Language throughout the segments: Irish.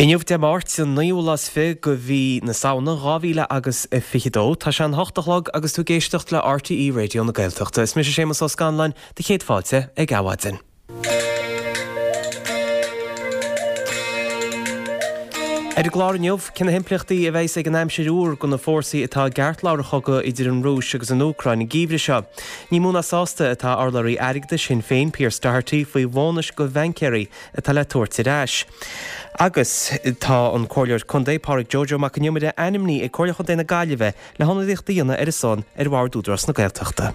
Inniu Dé Máirt, an naoú lá is fi de mhí na Samhna, 2000 agus 22. Tá sé an hocht a chlog agus tú ag éisteacht le RTÉ Raidió na Gaeltachta. Is mise Séamus Ó Scanláin, do chéad fáilte ag Adhmhaidin. Ar an gclár inniu, cé na himpleachtaí a bheas ag an aimsir fhuar do na fórsaí atá i gceartlár an chogaidh idir an Rúis agus an Úcráin an geimhreadh seo. Ní mó ná sásta atá urlabhraí airgeadais Shinn Féin, Pearse Doherty, faoi bhónais do bhaincéirí atá le tabhairt ar ais. Agus tá an Comhairleoir Contae, Pádraig Joe Joe Mac an Iomaire, ainmnithe ag Comhairle Chontae na Gaillimhe le hionadaíocht a dhéanamh ar a son ar Bhord Údarás na Gaeltachta.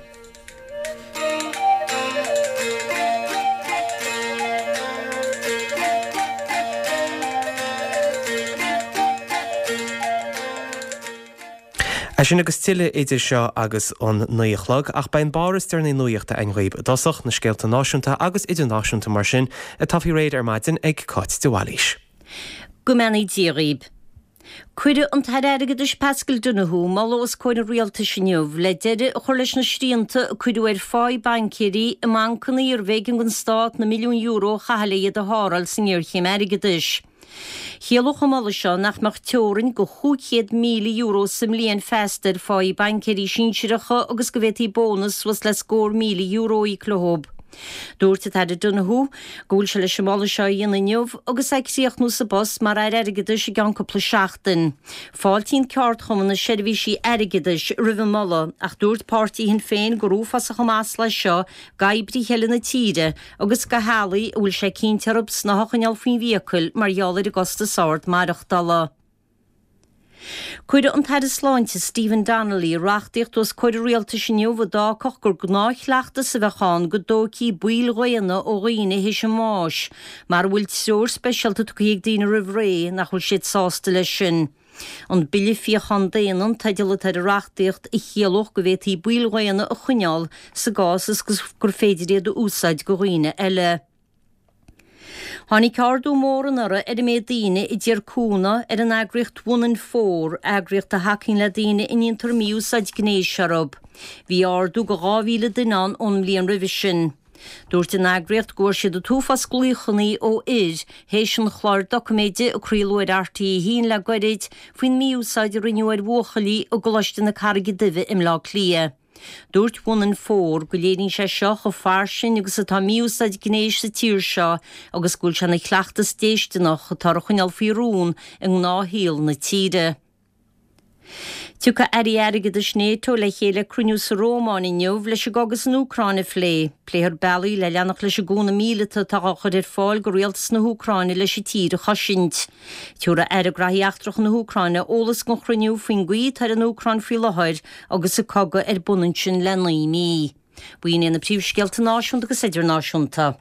É sin agus tuilleadh idir seo agus an 9 a chlog, ach beidh an barr is deireanaí nuachta againn dhaoib i dtosach, na scéalta náisiúnta agus idirnáisiúnta mar sin, atá faoi réir ar maidin ag Cáit de Bhailís. Go mbeannaí Dia dhaoib. Cuirfidh an tAire Airgeadais Paschal Donohoe moladh os comhair an Rialtais inniu le deireadh a chur leis na srianta a cuireadh ar pháí baincéirí i mbancanna arbh éigean don Stát na milliúin euro a chaitheamh le iad a tharrtháil sa ngéarchéim airgeadais. Chiallódh an moladh seo nach mbeadh teorainn go €500,000 sa mbliain feasta ar pháí baincéirí sinsearacha agus go bhféadfaí bónas suas le scór €1,000 a íoc leo. Dúirt an tAire Donohoe go bhfuil sé leis an moladh seo a dhéanamh inniu agus é ag críochnú sa bpost mar Aire Airgeadais i gceann cúpla seachtain. Fáiltíonn ceardchumann na seirbhísí airgeadais roimh an moladh ach dúirt páirtí Shinn Féin gur uafásach an masla é seo d'oibrithe eile na tíre agus do theaghlaigh a bhfuil sé cinnte orthu snáth a choinneáil faoin bhfiacail mar gheall ar an gcostas ard maireachtála. Cuirfidh an tAire Sláinte Stephen Donnelly reachtaíocht os comhair an Rialtais inniu a d'fhágfadh gur gnáthchleachtas a bheadh ann go dtógfaí baill dhaonna ó dhaoine théis a mbáis mara bhfuil treoir speisialta tugtha ag daoine roimh ré nach bhfuil siad sásta leis sin. An Bille Fíochán Daonna an teideal atá ar an reachtaíocht a chiallódh go bhféadfaí baill dhaonna a choinneáil sa gcás is gur féidir iad a úsáid do dhaoine eile. Tháinig ardú mór anuraidh ar an méid daoine a d'iarr cúnamh ar an eagraíocht One in Four, eagraíocht a thacaíonn le daoine a ndéantar mí-úsáid gnéis orthu. Bhí ardú go 2,000 duine ann ón mbliain roimhe sin. Dúirt an eagraíocht go bhfuair siad an t-uafás glaochanna ó fhir théis an chláir doiciméide a craoladh ar RTÉ 1 le goirid faoin mí-úsáid a rinneadh ar bhuachaillí i gColáiste na Carraige Duibhe i mBleá Cliath. Dúirt One in Four go léiríonn sé seo chomh fairsing agus atá mí-úsáid gnéis sa tír seo agus go bhfuil sé ina chleachtas déisteanach atá á choinneáil faoi rún i ngnáthshaol na tíre. Tiocfaidh Airí Airgeadais Nato le chéile ag cruinniú sa Rómáin inniu leis an gcogadh san Úcráin a phlé. Pléifear bealaí le leanacht leis an gcúnamh míleata atá á chur ar fáil do rialtas na hÚcráine leis an tír a chosaint. Tabharfaidh Aire Graithí Eachtracha na hÚcráine eolas don chruinniú faoin gcaoi atá ar an Úcráin faoi láthair agus an cogadh ar bun ansin le 9 mí. B'in iad na príomhscéalta náisiúnta agus idirnáisiúnta.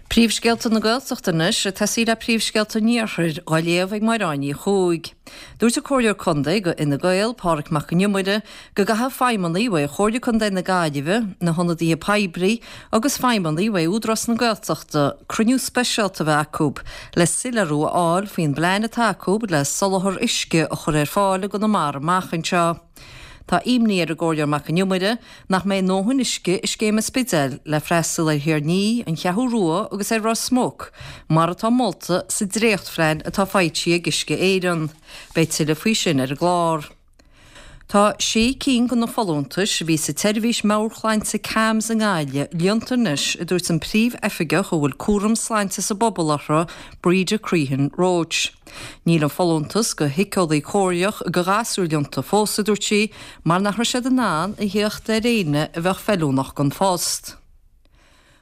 Príomhscéalta na Gaeltachta anois, ag tosaí le príomhscéalta an Iarthair, á léamh ag Máire Ní Chuaig. Dúirt an Comhairleoir Contae do Fhine Gael, Pádraig Mac an Iomaire, go gcaithfidh feidhmeannaigh uaidh Chomhairle Contae na Gaillimhe, na hionadaithe poiblí agus feidhmeannaigh uaidh Údarás na Gaeltachta cruinniú speisialta a bheith acu le soiléiriú a fháil faoin bplean atá acu le soláthar uisce a chur ar fáil i gConamara amach anseo. Tá imní ar an gComhairleoir Mac an Iomaire nach mbeidh a ndóthain uisce i scéim an Spidéil le freastal ar Thír an Fhia, an Cheathrú Rua agus ar Ros Muc, mar atá molta sa dréachtphlean atá foilsithe ag Uisce Éireann. Beidh tuilleadh faoi sin ar an gclár. Tá sé cinn de na folúntais a bhí sa tseirbhís meabhairshláinte CAMHS i nGaillimh líonta anois, a dúirt an príomh-oifigeach a bhfuil cúram sláinte sa bpobal uirthi, Breda Crehan Roche. Níl an folúntas go shíceolaí comhairleach go ghasúir líonta fós, a dúirt sí, mar nach raibh siad in ann a theacht ar éinne a bheadh feiliúnach don phost.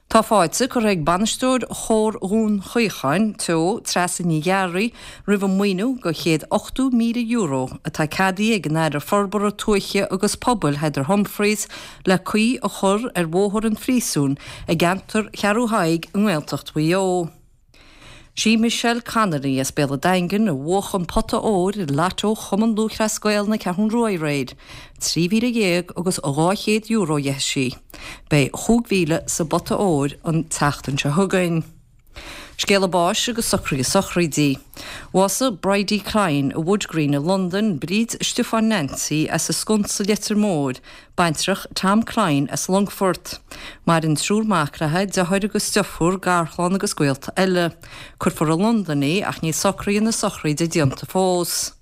Tá fáilte curtha ag bainisteoir Chór Dhún Chaocháin Teo, Treasa Ní Ghearraigh, roimh an maoiniú go €180,000 atá ceadaithe ag an Aire Forbartha Tuaithe agus Pobail Heather Humphreys le caoi a chur ar Bhóthar an Phríosúin i gceantar Cheathrú Thaidhg i nGaeltacht Mhaigh Eo. Sí Michelle Connolly as Béal an Daingin a bhuach an pota óir i Lotto Chumann Lúthchleas Gael na Ceathrún Rua aréir. €13,000 agus €200 a gheibh sí. Beidh 5,000 sa bpota óir an tseachtain seo chugainn. Scéala báis agus socruithe sochraidí. Bhásaigh Bridie Clyne i Wood Green i Londain, Bríd Stiofáin Nancy as an Sconsa Leitir Móir, baintreach Tom Clyne as Longfort. Maireann triúr mac léi, deartháir agus deirfiúr, garchlann agus gaolta eile. Cuirfear i Londain í ach níl socruithe na sochraide déanta fós.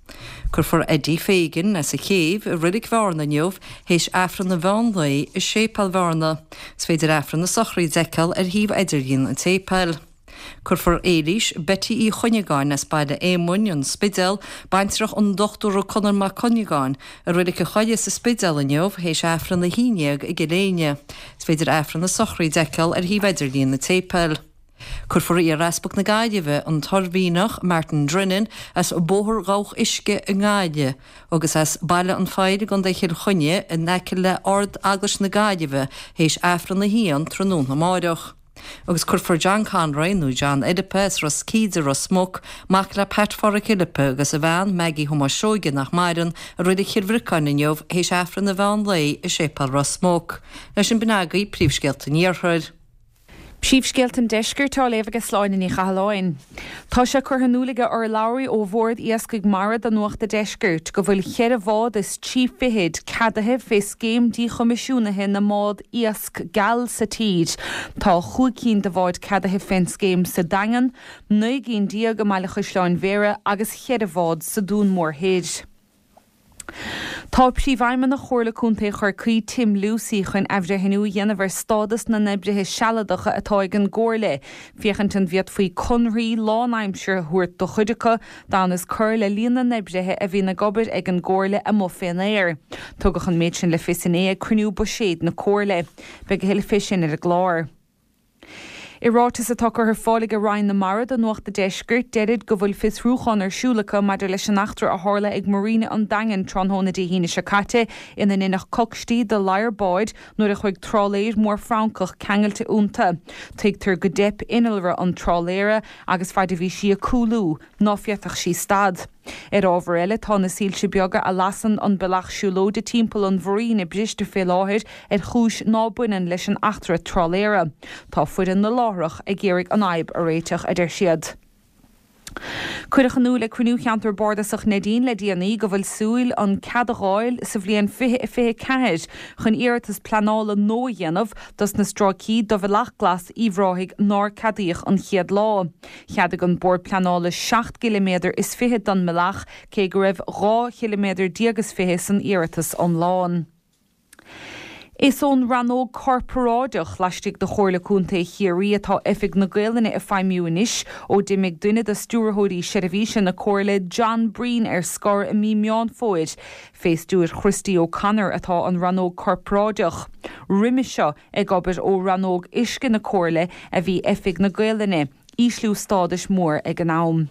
Cuirfear Eddie Fagan as an Chéibh i Reilig Bhearna inniu théis Aifreann an mheán lae i Séipéal Bhearna. Is féidir Aifreann na sochraide a fheiceáil ar shuíomh idirlín an tséipéil. Cuirfear Éilís Betty Uí Chuinneagáin as Baile Éamoinn, An Spidéal, baintreach an Dochtúra Conor Mac Cuinneagáin, i Reilig an Choilligh sa Spidéal inniu théis Aifreann a 11 i gCill Éinne. Is féidir Aifreann na sochraide a fheiceáil ar shuíomh idirlín an tséipéil. Cuirfear Iar-Easpag na Gaillimhe, an tOirmhinneach Martin Drennan, as Bóthar Dhabhach Uisce i nGaillimh agus as Baile an Phoill i gContae Chill Chainnigh in aice le Ard-Eaglais na Gaillimhe théis Aifreann a haon tráthnóna amáireach. Agus cuirfear John Conroy, nó John Fhilipe, as Ros Cíde, Ros Muc, mac le Pat Pháraic Fhilipe agus a bhean Maggie Thomáis Seoige nach maireann, i Reilig Chill Bhriocáin inniu théis Aifreann an mheán lae i Séipéal Ros Muc. Leis sin b'in agaibh príomhscéalta an Iarthair. Príomhscéalta an Deiscirt á léamh ag Sláine Ní Chathalláin. Tá sé curtha in iúl ag urlabhraí ó Bhord Iascaigh Mara do Nuacht a' Deiscirt go bhfuil cheithre bhád is trí fichid ceadaithe fé scéim díchoimisiúnaithe na mbád iasc geal sa tír. Tá chúig cinn de bháid ceadaithe fén scéim sa Daingean, 19 gcinn i mBaile Chaisleáin Bhéarra agus cheithre bhád sa Dún Mór Thoir. Tá Príomhfheidhmeannach Chomhairle Contae Chorcaí, Tim Lucey, chun athbhreithniú a dhéanamh ar stádas na n-oibrithe sealadacha atá ag an gComhairle, féachaint an bhféadfaí conarthaí lánaimseartha a thabhairt do chuid acu, d'fhonn is cur le líon na n-oibrithe a bhíonn ag obair ag an gComhairle amuigh fén aer. Tugadh an méid sin le fios inné ag cruinniú buiséid na Comhairle. Beidh a thuilleadh fé sin ar an gclár. I ráiteas atá curtha ar fáil ag Roinn na Mara do Nuacht a' Deiscirt, deirid go bhfuil fiosrúchán ar siúl acu maidir leis an eachtra a tharla ag Marina an Daingin tráthnóna Dé hAoine seo caite ina ndeineadh cocstí de ladhar báid nuair a chuaigh trálaeir mór Francach ceangailte iontu. Tuigtear go dteip innealra an trálaera agus faid a bhí sí ag cúlú ná féadfadh sí stad. Ar ábhar eile, tá na soilse beaga a lasann an bealach siúlóide timpeall an mharina briste fé láthair ar chúis ná baineann leis an eachtra trálaera. Tá foireann na láithreach ag iarraidh an fhadhb a réiteach, a deir siad. Cuireadh in iúl ag cruinniú Cheantar Bardasach Neidín le déanaí go bhfuil súil an cead a dh'fháil sa bhliain 2024 chun iarratas pleanála nua a dhéanamh dos na stráicí de Bhealach Glas Uíbh Ráthaigh nár ceadaíodh an chéad lá. Cheadaigh an Bord Pleanála seacht gciliméadar is fiche don mbealach, cé go raibh 12 chiliméadar is fiche san iarratas iomlán. Is ón Rannóg Corparáideach laistigh de Chomhairle Contae Chiarraí atá Oifig na Gaolainne ag feidhmiú anois ó d'imigh duine de Stiúrthóirí Seirbhíse na Comhairle, John Breen, ar scor i mí Meán Fómhair. Fé stiúir Christy O'Connor atá an Rannóg Corparáideach. Roimhe seo, Ag obair ó Rannóg Uisce na Comhairle a bhí Oifig na Gaolainne, ísliú stádais mór ag an am.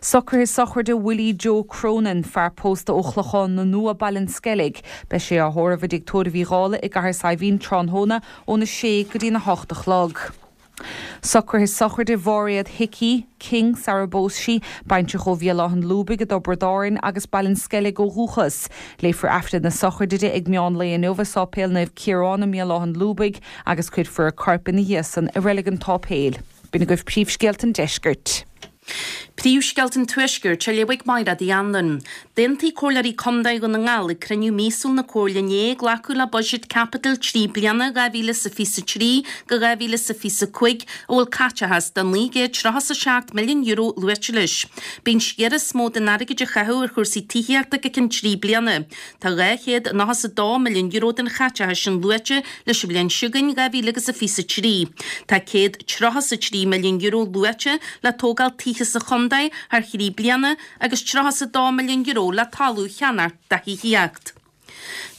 Socruithe sochraide Willie Joe Cronin, fear pósta ó Chlochán na Nua, Baile an Sceilg. Beidh sé á thórramh i dTigh Tórraimh Uí Dhálaigh i gCathair Saidhbhín tráthnóna óna sé go dtína hocht a chlog. Socruithe sochraide Mháiréad Hickey, King sara bpós sí, baintreach ó Bhéal Átha'n Lúbaigh i dTiobraid Árann agus Baile an Sceilg ó dhúchas. Léifear Aifreann na sochraide di ag meán lae inniu i Sáipéal Naomh Ciarán i mBéal Átha'n Lúbaigh agus cuirfear a corp ina dhiaidh san i Reilig an tSáipéil. B'in agaibh príomhscéalta an deiscirt. Príomhscéalta an Tuaiscirt á léamh ag Máire Uí Anluain. D'aontaigh Comhairleoirí Contae Dhún na nGall ag cruinniú míosúil na Comhairle inné glacadh le buiséad caipitil 3 bliana 2023-2025 a bhfuil caiteachas de €937 milliún luaite leis. Beidh an sciar is mó den airgead a chaitheamh ar chúrsaí tithíochta go ceann 3 bliana. Tá €292 milliún den chaiteachas sin luaite leis an bhliain seo chugainn, 2023. Tá €133 milliún luaite le tógáil tithe sa chontae thar thrí bliana agus €32 milliún le talamh a cheannacht do thithíocht.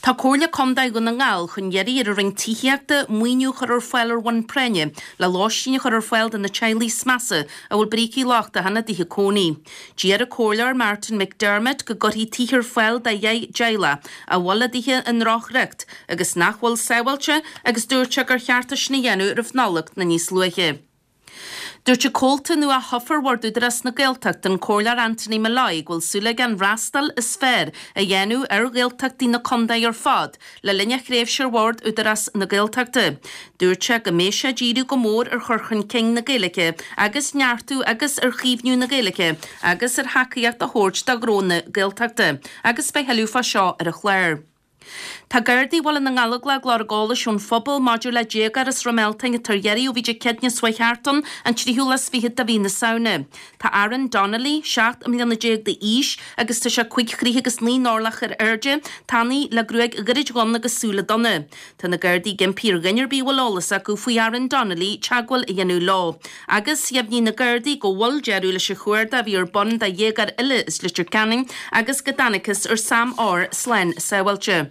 Tá Comhairle Contae Dhún na nGall chun iarraidh ar an Roinn Tithíochta maoiniú a chur ar fáil ar bhonn práinne le lóistín a chur ar fáil do na teaghlaigh is measa a bhfuil brící lochtacha ina dtithe cónaí. D'iarr an Comhairleoir Martin McDermott go gcuirfí tithe ar fáil do dheich dteaghlach a bhfuil a dtithe i ndrochriocht agus nach bhfuil sábháilte agus dúirt sé gur cheart é sin a dhéanamh roimh Nollaig nó níos luaithe. Dúirt an comhalta nua thofa ar Bhord Údarás na Gaeltachta, an Comhairleoir Anthony Molloy, go bhfuil súil aige an fhreastal is fearr a dhéanamh ar Ghaeltachtaí na contae ar fad le linn a thréimhse ar Bhord Údarás na Gaeltachta. Dúirt sé go mbeidh sé ag díriú go mór ar chur chun cinn na Gaeilge agus neartú agus ar chaomhnú na Gaeilge agus ar thacaíocht a thabhairt do ghnónna Gaeltachta agus beidh thuilleadh fá seo ar an chlár. Tá Gardaí Bhaile na nGallóglach ag lorg eolais ón phobal maidir le déagóir as Srath Mealtain atá ar iarraidh ó bhí Dé Céadaoine seo chuaigh thart ann, an tríú lá is fichead de mhí na Samhna. Tá Aaron Donnelly, 17 mbliana d'aois agus tá sé 5 throigh agus 9 n-orlach ar airde, tanaí le gruaig ghairid dhonn agus súile donna. Tá na Gardaí ag impí ar dhuine ar bith a bhfuil eolas acu faoi Aaron Donnelly teagmháil a dhéanamh leo. Agus dheimhnigh na Gardaí go bhfuil deireadh leis an chuardach a bhí ar bun do dhéagóir eile as Leitir Ceanainn agus go dtángthas ar Sam R slán sábháilte.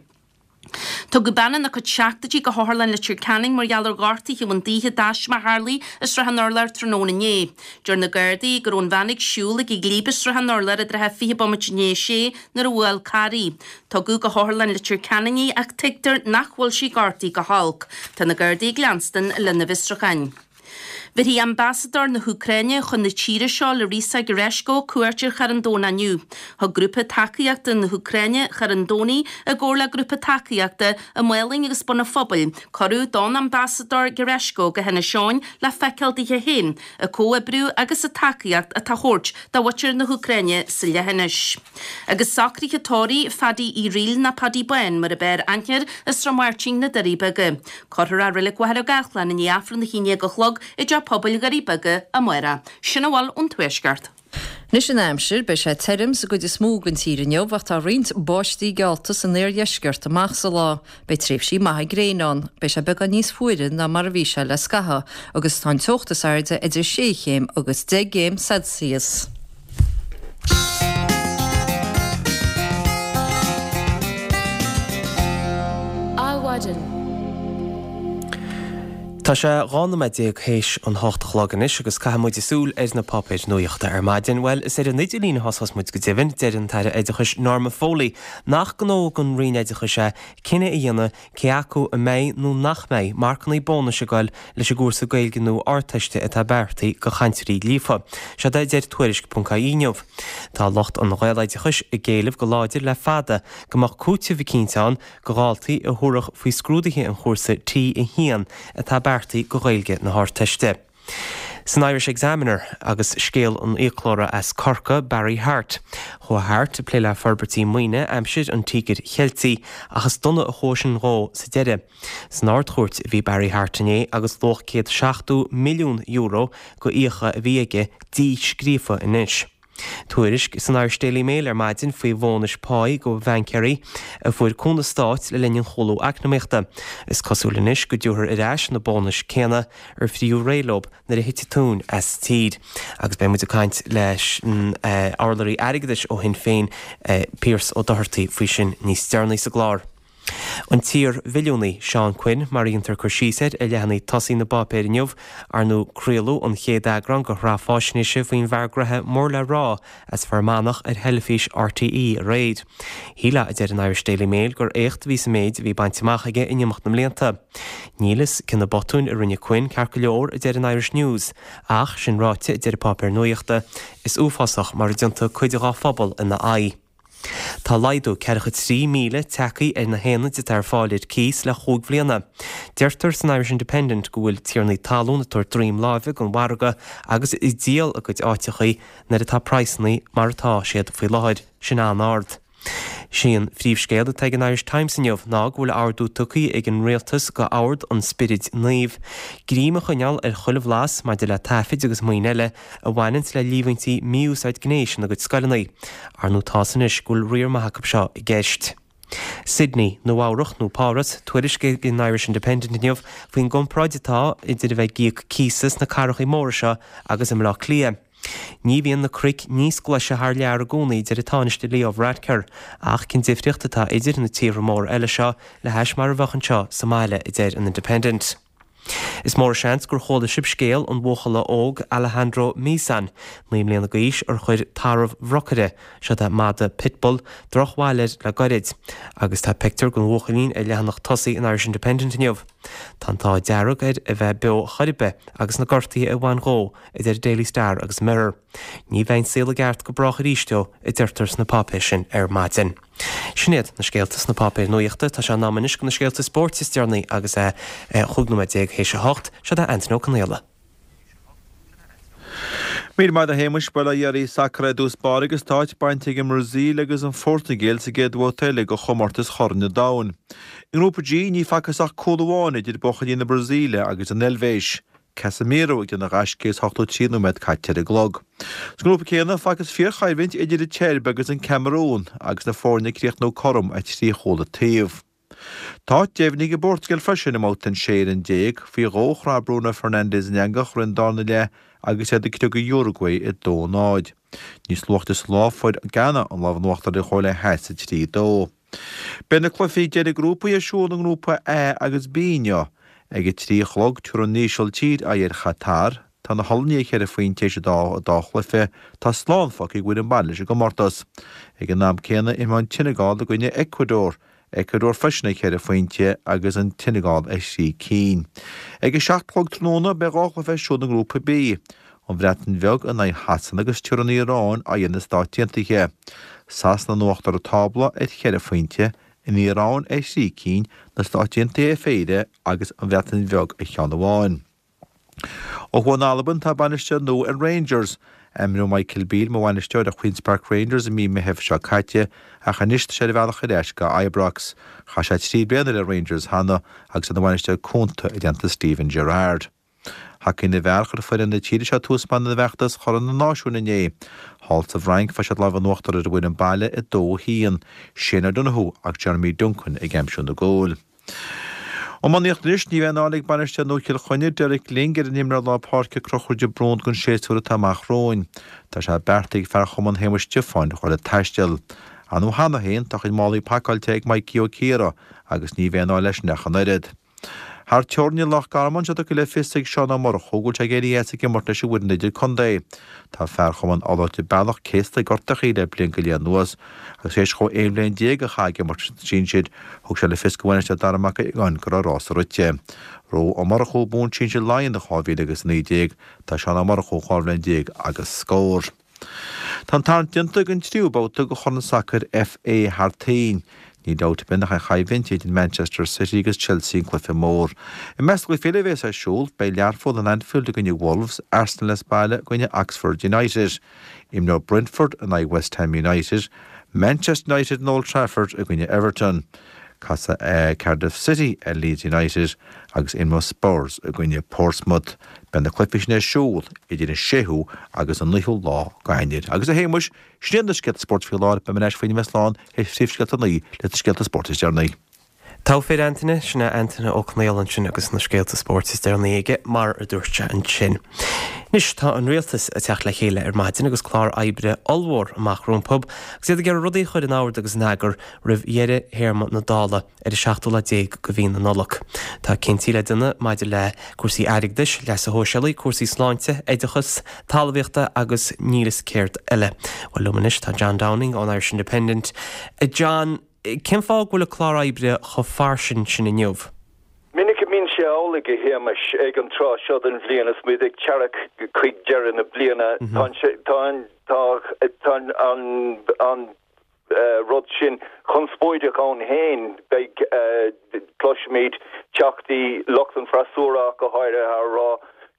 Tugadh bean ina cuid seachtóidí go hOtharlann Leitir Ceanainn mar gheall ar ghortuithe a bhain daoithe d'taisme a tharlaigh i Srath an Urláir tráthnóna inné. Deir na Gardaí go raibh an bhean ag siúl ag an gcliab i Srath an Urláir i dtrátha 20 bomaite i ndiaidh a sé nuair a bhuail carr í. Tugadh go hOtharlann Leitir Ceanainn í ach tuigtear nach bhfuil sí gortaithe go holc. Tá na Gardaí ag leanstan lena bhfiosrúcháin. Bhéarfaidh Ambasadóir na hÚcráine chun na tíre seo, Larysa Gereshko, cuairt ar Charn Domhnach inniu. Thug grúpa tacaíochta na hÚcráine Charn Domhnaigh, i gcomhar le grúpa tacaíochta i Maolainn agus Bun an Phobail, cuireadh don Ambasadóir Gereshko go hInis Eoghain le feiceáil daoithe féin an comhoibriú agus an tacaíocht atá á thabhairt do mhuintir na hÚcráine sa leithinis. Agus socruithe tórraimh Phaddy Uí Fhrighil nó Paddy Bán mar ab fhearr aithne air i Srath Máirtín, Na Doirí Beaga. Cuirfear é i Reilig Mhachaire Gathlán i ndiaidh Aifreann 11 a chlog i dTeach Pobail Dhoirí Beaga amárach. Sin a bhfuil ón Tuaisceart. Anois an aimsir, beidh sé tirim sa gcuid is mó den tír inniu ach tá roinnt báistí geallta san iardheisceart amach sa lá. Beidh tréimhsí maithe gréine ann. Beidh sé beagán níos fuaire ná mar a bhí sé le scaitheamh agus tá an teocht is airde idir sé chéim agus 10 gcéim Celsius. Adhmhaidin. Tá sé 12 nóiméad théis an hocht a chlog anois agus caithfidh muid súil ar na páipéir nuachta ar maidin. Bhuel, is ar an idirlíon a thosós muid go deimhin. Deir an tAire Oideachais Norma Foley nach gnó don Roinn Oideachais é cinneadh a dhéanamh cé acu a mbeidh nó nach mbeidh marcanna bónais ag goil leis an gcúrsa Gaeilge nua Ardteiste atá beartaithe do chainteoirí líofa. Seod é a deir Tuairisc.ie inniu. Tá lucht an Ghaeloideachais ag éileamh go láidir le fada go mbeadh cúiteamh eicínt ann do dhaltaí a thabharfadh faoi scrúduithe an chúrsa T1 atá beartaithe do Ghaeilge na hArdteiste. San Irish Examiner, agus scéal an fhiaclóra as Corcaigh, Barry Harte. Chuaigh Harte ag plé le forbairtí maoine aimsir an Tíogair Cheiltigh ach is dona a chuaigh sin dhó sa deireadh. San Ard-Chúirt a bhí Barry Harte inné agus luach €170 milliún go fhiacha a bhí aige díscríofa anois. Tuairisc san Irish Daily Mail ar maidin faoi bhónais páí go bhaincéirí a fuair cúnamh stáit le linn an chúlú eacnamaíochta. Is cosúil anois go dtabharfar ar ais na bónais céanna ar fritheadh réidh leo nuair a thit an tóin as sa tír. Agus beidh muid ag caint leis an urlabhraí airgeadais ó Shinn Féin, Pearse Ó Dochartaigh faoi sin níos deireanaí sa gclár. An t-iar-mhilliúnaí, Seán Quinn, mar a dhéantar cur síos air ar leathanaigh tosaigh na bpáipéar inniu, ar ndóigh craoladh an chéad eagrán de shraith fáisnéise faoin bhfear gnoithe mór le rá as Fear Manach ar theilifís RTÉ aréir. Shílfeá, a deir an Irish Daily Mail, gur éacht a bhí sa méid a bhí bainte amach aige in imeacht na mblianta. Níl fhios cé na botúin a rinne Quinn ceart go leor, a deir an Irish News, ach, sin ráite, a deir an páipéar nuachta, is uafásach mar a d'iontaigh cuid dhá phobal ina aghaidh. Tá laghdú 43,000 tagtha ar na haonaid atá ar fáil ar cíos le chúig bhliana. Deirtear san Irish Independent go bhfuil tiarnaí talún ag tabhairt droim láimhe don mhargadh agus ag díol a gcuid áiteachaí nuair atá praghsanna mar atá siad faoi láthair, sin an-ard. Sé an phríomhscéal atá ag an Irish Times inniu ná go bhfuil ordú tugtha ag an Rialtas go Ord an Spioraid Naoimh greim a choinneáil ar chuile bhlas maidir le taifid agus maoin eile a bhaineanns le líomhaintí mí-úsáid gnéis ina gcuid scoileanna. Ar ndóigh tá's anois go bhfuil riar maith acu seo i gceist. Sydney, Nua Eabhrach nó Páras, tuairisc ag an Irish Independent inniu faoin gcomparáid atá idir a bheith ag íoc cíosa sna cathrachaí móra seo agus i mBleá Cliath. Ní bhíonn na cnoic níos glaise thar lear i gcónaí, a deir an Tánaiste Leo Varadkar, ach cén difríocht atá idir na tíortha móra eile seo le hais mar a bheadh anseo sa mbaile, a deir an Independent. Is mór an seans gur chuala sibh scéal an bhuachalla óg Alejandro Misan, 9 mbliana d'aois, ar chuir tarbh bhrocaire, seod é madadh pitbull, drochbhail air le goirid. Agus tá pictiúr den bhuachaillín ar leathanach tosaigh an Irish Independent inniu. Tá an t-ádh dearg air a bheith beo chor ar bith agus na gortuithe a bhain dhó, a deir Daily Star agus Mirror. Ní bheidh an saol i gceart go brách arís dó, a deirtear sna páipéir sin ar maidin. Sin iad na scéalta sna páipéir nuachta. Tá sé in am anois do na scéalta spóirt is deireanaí agus é 15 nóiméad théis a hocht. Seod é Antain Ó Conaola. Míle maith agat a Shéamais, bhuel a dheiridh sacar i dtús báire agus tá áit bainte ag an mBrasaíl agus an Phortaingéil sa gcéad bhabhta eile de chomórtas Chorn an Domhain. I nGrúpa G ní facthas ach cúl amháin idir buachaillí na Brasaíle agus an Eilvéis. Casemiro ag déanamh gaisce is 83 nóiméad caite ar an gclog. Sa ngrúpa céanna, facthas fíorchoimhlint idir an tSeirbia agus an Camarún agus na foirne ag críochnú cothrom ar thrí chúl an taobh. Tá áit deimhnithe ag an bPortaingéil freisin i mbabhta an 16 fhoireann. Faoi dhó chraith Bruno Fernandes an eangach i rith an darna leath agus iad ag criogadh Uruguay 2-0. Níos luaithe sa lá fuair Ghana an lámh in uachtar ar an Chóiré Theas 3-2. Beidh na cluichí deiridh grúpaí ar siúl i nGrúpa A agus B inniu. Ag a 3 a chlog, tabharfaidh an Ísiltír aghaidh ar Chatar. Tá na hOllannaigh ar cheithre phointe théis an dá dá chluiche. Tá slán fágtha ag foireann baile leis an gcomórtas. Ag an am céanna, imreoidh an tSeineagáil i gcoinne Ecuador. Ecuador freisin ar cheithre phointe agus an tSeineagáil ar thrí cinn. Ag a 7 a chlog tráthnóna, beidh dhá chluiche ar siúl i nGrúpa B. An Bhreatain Bheag in aghaidh Shasana agus tabharfaidh an Iaráin aghaidh ar na Stáit Aontaithe. Sasana in uachtar an tábla ar cheithre phointe, an Iaráin ar thrí cinn, na Stáit Aontaithe ar phéire agus an Bhreatain Bheag ar cheann amháin. Ó thuaidh in Albain tá bainisteoir nua ar Rangers. Ainmníodh Michael Beale mar bhainisteoir ar Queen's Park Rangers i mí Meithimh seo caite ach anois tá sé ar a bhealach ar ais go Ibrox. Chaith sé 3 bliana le Rangers cheana agus é ina bhainisteoir cúnta i dteannta Steven Gerrard. Hacaí na bhfear, chuir foireann na tíre seo tús maith lena bhfeachtas Chorn na Náisiún inné. Thall sa bhFrainc, fuair siad lámh in uachtar ar an bhfoireann baile 2-1. Shane O'Donoghue agus Jeremy Duncan ag aimsiú na gcúil. Iománaíocht anois, ní bheidh aon fháil ag bainisteoir nua Chill Chainnigh, Derek Lyng, ar an imreoir lár páirce Conchúr de Brún don séasúr atá amach romhainn. Tá sé beartaithe ag fear Chumann Shéamuis Stiofáin a dhul ag taisteal. Ar ndóigh cheana féin, tá a chuid málaí pacáilte ag Mikey Ó Ciardha agus ní bheidh aon fháil leisean ach an oiread. Thar teorainn i Loch Garman, tá sé tugtha le fios ag Seán Ó Murchú go bhfuil sé ag éirí as ag imirt leis an bhfoireann idir-contae. Tá fear Chumann Fhálta Bealach céasta ag gortachaí le bliain go leith anuas agus tar éis dhó 11 bhliain a chaitheamh ag imirt leis na sinsir, thug sé le fios do bhainisteoir Dara Mac Aodhagáin go raibh a rás rite. Ró Ó Murchú bonn sinsir Laighean do 2019, tá Seán Ó Murchú 12 bhliain agus scór. Tá an tarraingt déanta don tríú babhta de Chorn Sacair FA thar toinn. Níl dabht ar bith nach an choimhlint idir Manchester City agus Chelsea an cluiche mór. I measc na gcluichí eile a bhéas ar siúl, beidh Learpholl in Anfield i gcoinne Wolves, Arsenal as baile i gcoinne Oxford United. Imreoidh Brentford in aghaidh West Ham United, Manchester United in Old Trafford i gcoinne Everton. Casfaidh Cardiff City ar Leeds United agus imreoidh Spurs i gcoinne Portsmouth. Beidh na cluichí sin ar siúl idir an séú agus an naoú lá d'Eanáir. Agus a Shéamuis, sin iad na scéalta spóirt faoi láthair, beidh mé ar ais faoi nóiméad slán théis phríomhscéalta a naoi leis na scéalta spóirt is deireanaí. Togha fir Antaine, sin é Antaine Ó Conaola ansin agus na scéalta spóirt is deireanaí aige, mar a dúirt sé ansin. Anois, tá an rialtas ag teacht le chéile ar maidin agus clár oibre ollmhór amach rompu agus iad ag iarraidh rudaí a chur in ord agus in eagar roimh dheireadh théarma na Dála ar an seachtú lá déag de mhí na Nollag. Tá cinntí le déanamh maidir le cúrsaí airgeadais, leasa shóisialaigh, cúrsaí sláinte, oideachas, talmhaíochta agus níl fhios céard eile. Bhuel, liom anois tá John Downing ón Irish Independent. A John, cén fáth go bhfuil an clár oibre chomh fairsing sin inniu? Minic a mbíonn sé amhlaidh, a Shéamais, ag an tráth seo den bhliain is muid ag teacht chuig deireadh na bliana. Tá an, tá, tá an, an, rud sin conspóideach ann féin. Beidh, cloisfimid teachtaí, lucht an fhreasúra ach go háirithe, á rá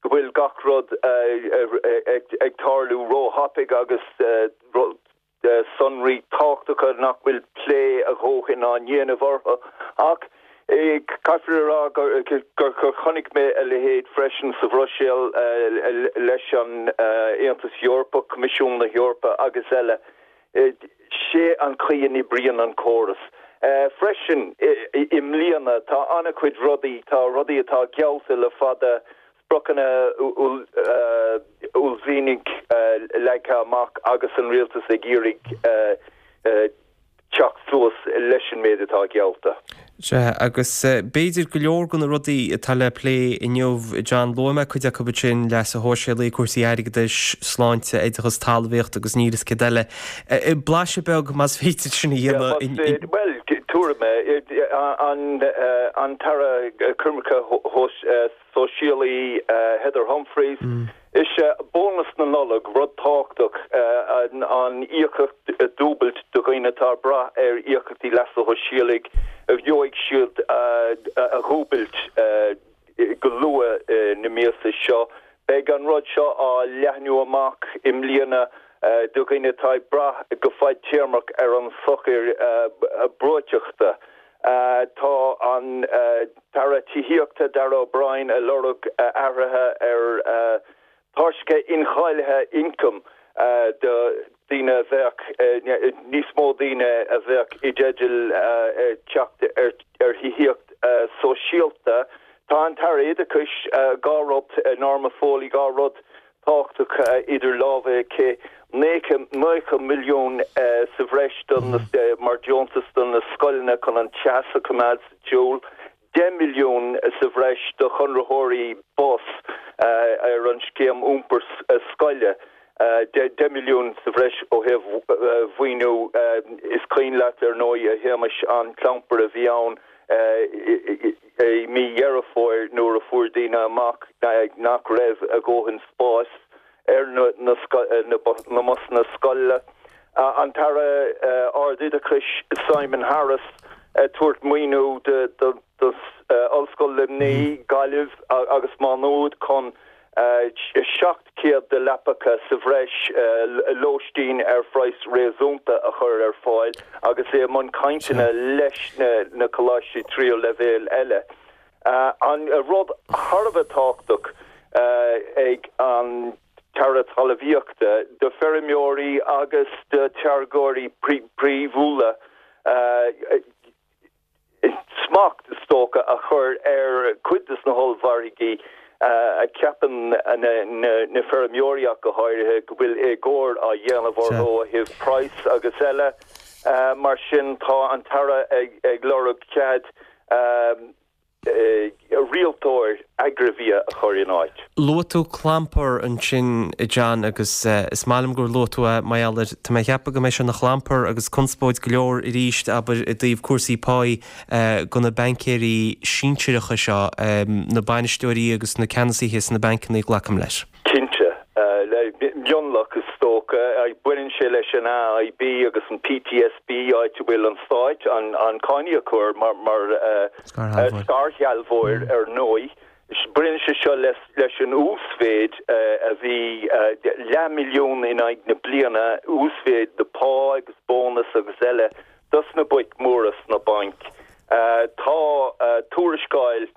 go bhfuil gach rud ag tarlú róthapaidh agus sonraí tábhachtacha nach bhfuil plé a dhóthain á ndéanamh orthu. Ach caithfear a rá gur chonaic mé a leithéid freisin sa Bhruiséil leis an Aontas Eorpach, Coimisiún na hEorpa agus eile. Sé an chaoi a n-oibríonn an córas. Freisin, i mbliana, tá an-chuid rudaí, tá rudaí atá geallta le fada, spriocanna uaillmhianacha leagtha amach agus an rialtas ag iarraidh. Teacht suas leis an méid atá geallta. Sea, agus b'fhéidir go leor de na rudaí atá le plé inniu, John, luaigh mé cuid acu ansin, leasa shóisialaigh, cúrsaí airgeadais, sláinte, oideachas, talmhaíocht agus níl fhios céard eile. Blaiseadh beag, más féidir sin a dhéanamh. Bhuel, tabharfaidh mé an tAire Coimirce Sóisialaí Heather Humphreys. Is é bónas na Nollag rud tábhachtach, an íocaíocht a dhúbailt do dhaoine atá ag brath ar íocaíochtaí leasa shóisialaigh, a gheobhaidh siad a dhúbailt go luath na míosa seo. Beidh an rud seo á leathnú amach i mbliana do dhaoine atá ag brath go fadtéarmach ar an sochar breoiteachta. Tá an tAire Tithíochta Darragh O'Brien ag lorg athruithe ar tairseacha incháilithe ioncaim do dhaoine a bheadh, níos mó daoine a bheadh i dteideal teacht ar thithíocht sóisialta. Tá an tAire Oideachais, dhá rud, Norma Foley, dhá rud tábhachtacha idir lámha aici, 90 milliún sa bhreis mar deontas do na scoileanna chun an teas a choimeád sa tsiúl, 10 milliún sa bhreis do chonraitheoirí bus ar an scéim iompair scoile, 10 milliún sa bhreis ó thaobh mhaoiniú. Is cuimhin leat, ar ndóigh, a Shéamais, an clampar a bhí ann I mí Dheireadh Fómhair nuair a fuair daoine amach nach raibh a dhóthain spáis ar na mbusanna scoile, an tAire Ard-Oideachais Simon Harris ag tabhairt maoiniú d'Ollscoil Luimnigh, Gaillimh agus Má Nuad chun 700 de leapacha sa bhreis, lóistín ar phraghas réasúnta a chur ar fáil agus é i mbun cainteanna leis na coláistí tríú leibhéal eile. An rud thar a bheith tábhachtach ag an tAire Talmhaíochta do feirmeoirí agus do táirgeoirí príomhúla, smacht, is dócha, a chur ar chuid de na hollmhargaí a cheapann na feirmeoirí ach go háirithe, go bhfuil éagóir á dhéanamh orthu ó thaobh praghas agus eile. Mar sin, tá an tAire ag lorg cead rialtóir agraibhia a chur in áit. Luaigh tú clampar ansin, a John, agus is maith liom gur luaigh tú é mar gheall air, tá mé ag ceapadh go mbeidh sé ina chlampar agus conspóid go leor arís, abair, i dtaobh cúrsaí páí do na baincéirí sinsearacha seo, na bainisteoirí agus na ceannasaithe sna bancanna, glacaim leis. Cinnte. Mionlach, is dócha. Baineann sé leis an AIB agus an PTSB, áit a bhfuil an Stát, an cáiníocóir, mar scairshealbhóir ar ndóigh. Baineann sé seo leis an uasmhéid a bhí leathmhilliún in aghaidh na bliana, uasmhéid de phá agus bónas agus eile dos na boic mhóra sna bainc. Tá tuarascáil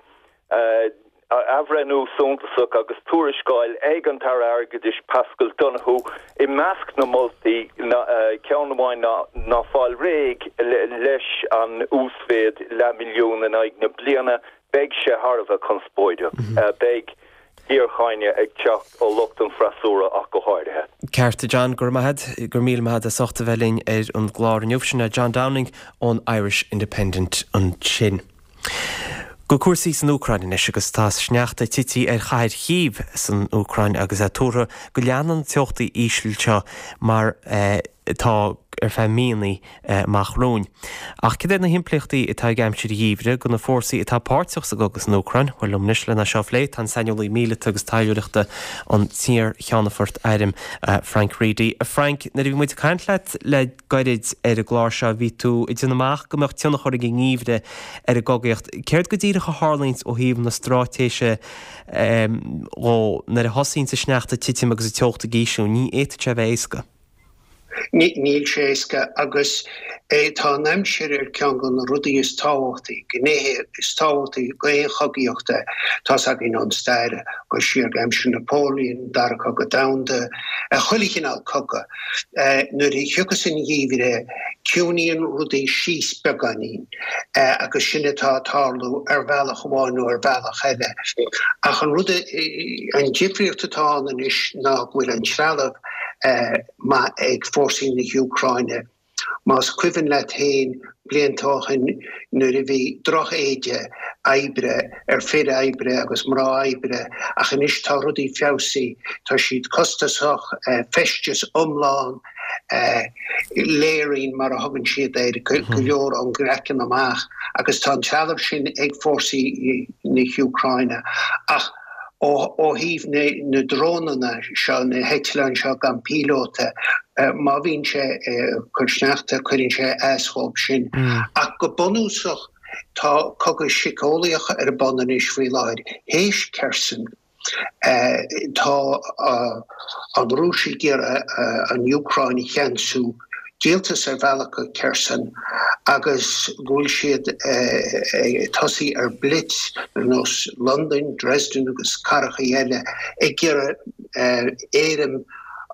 athbhreithniú suntasach agus tuarascáil ag an tAire Airgeadais Paschal Donohoe. I measc na moltaí, ceann amháin ná fáil réidh leis an uasmhéid leathmhilliún in aghaidh na bliana. Beidh sé thar a bheith conspóideach. Beidh géarcháineadh ag teacht ó lucht an freasúra ach go háirithe. Ceart, a John, go raibh maith agat, go raibh míle maith agat as ucht a bheith linn ar an gclár inniu. Sin é John Downing ón Irish Independent ansin. Go cúrsaí san Úcráin anois agus tá sneachta tite ar chathair Chív san Úcráin agus é tuartha go leanfaidh na teochtaí íseal seo mar atá ar feadh míonna amach romhainn. Ach cad iad na himpleachtaí atá ag aimsir gheimhridh do na fórsaí atá páirteach sa gcogadh san Úcráin? Bhuel, liom anois lena seo a phlé tá an saineolaí míleata agus taidhleoireachta an t-iar-cheannfort airm Frank Reidy. A Frank, nuair a bhí muid ag caint leat le gairid ar an gclár seo, bhí tú ag déanamh amach go mbeadh tionchar ag an ngeimhreadh ar an gcogaíocht. Céard go díreach a tharlaíonns ó thaobh na straitéise dhó nuair a thosaíonns an sneachta ag titim agus an teocht ag ísliú? Ní fhéadfadh sé a bheith éasca. Níl sé éasca agus tá an aimsir ar ceann de na rudaí is tábhachtaí, gnéithe is tábhachtaí d'aon chogaíocht. Tá's againn ón stair, go siar go aimsir Napoleon, Dara Cogadh Domhanda, chuile chineál cogadh. Nuair a thiocfas an geimhreadh, ciúnaíonn rudaí síos beagáinín agus sin atá ag tarlú ar bhealach amháin nó ar bhealach eile. Ach an rud, an difríocht atá ann anois ná go bhfuil an trealamh maith ag fórsaí na hÚcráine. Más cuimhin leat féin blianta ó shin nuair a bhí droch-éide oibre ar fir oibre agus mná oibre ach anois tá rudaí feabhsaithe, tá siad costasach, feisteas iomlán, layering mar a thugann siad air, go leor ón gcraiceann amach agus tá an trealamh sin ag fórsaí na hÚcráine ach ó thaobh na drónanna seo, na heitleáin seo gan píolóta, má bhíonn sé ag cur sneachta, cuireann sé as dhóibh sin. Ach go bunúsach, tá cogadh síceolaíoch ar bun anois faoi láthair, théis Kherson. Tá an Rúis ag iarraidh an Úcráin a cheansú, díoltas ar bhealach go Kherson agus go bhfuil siad ag tosaí ar blitz ar nós Londain, Dresden agus cathracha eile ag iarraidh éirim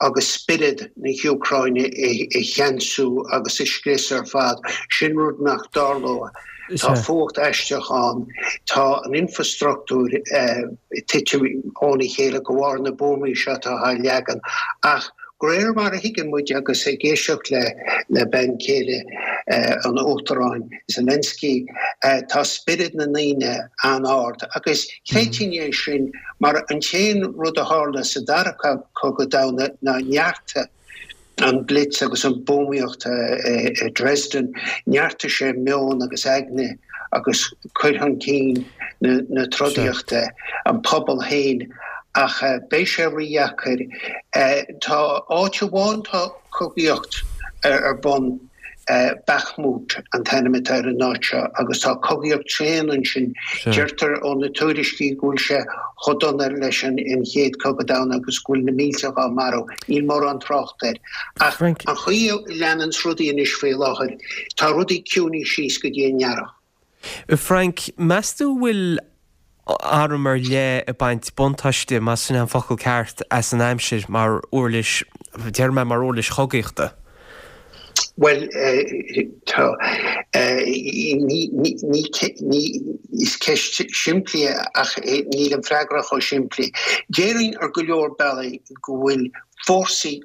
agus spiorad na hÚcráine a cheansú agus a scrios ar fad. Sin rud nach dtarlóidh. Tá fuacht aisteach ann. Tá an infrastruchtúr ag titim óna chéile de bharr na buamaí seo atá á leagan. Ach de réir mar a thuigeann muid agus ag éisteacht le bean chéile an Uachtaráin Zelensky, tá spiorad na ndaoine an-ard. Agus chreidfinn é sin mar an t-aon rud a tharla sa Dara Cogadh Domhanda ná neartaigh an Blitz agus an buamaíocht i Dresden, neartaigh sé meon agus aigne agus cur chun cinn na trodaíochta, an pobal féin, ach beidh sé rídheacair. Tá áit amháin tá cogaíocht ar bun. Bakhmut an t-ainm atá ar an áit seo agus tá cogaíocht tréan ansin. Deirtear ó na tuairiscí go bhfuil sé chomh dona leis an Chéad Chogadh Domhanda agus go bhfuil na mílte á marú. Níl mórán trácht air. Ach an chaoi a leananns rudaí anois faoi láthair, tá rudaí ciúnaithe síos go dtí an earrach. A Frank, meas tú an bhfuil arm ar leith ag baint buntáiste, más sin é an focal ceart, as an aimsir mar uirlis, déarfaidh mé mar uirlis chogaíochta? Bhuel, tá, ní, ní, ní, is ceist simplí é ach níl an freagra chomh simplí. Déarfainn ar go leor bealaí go bhfuil fórsaí,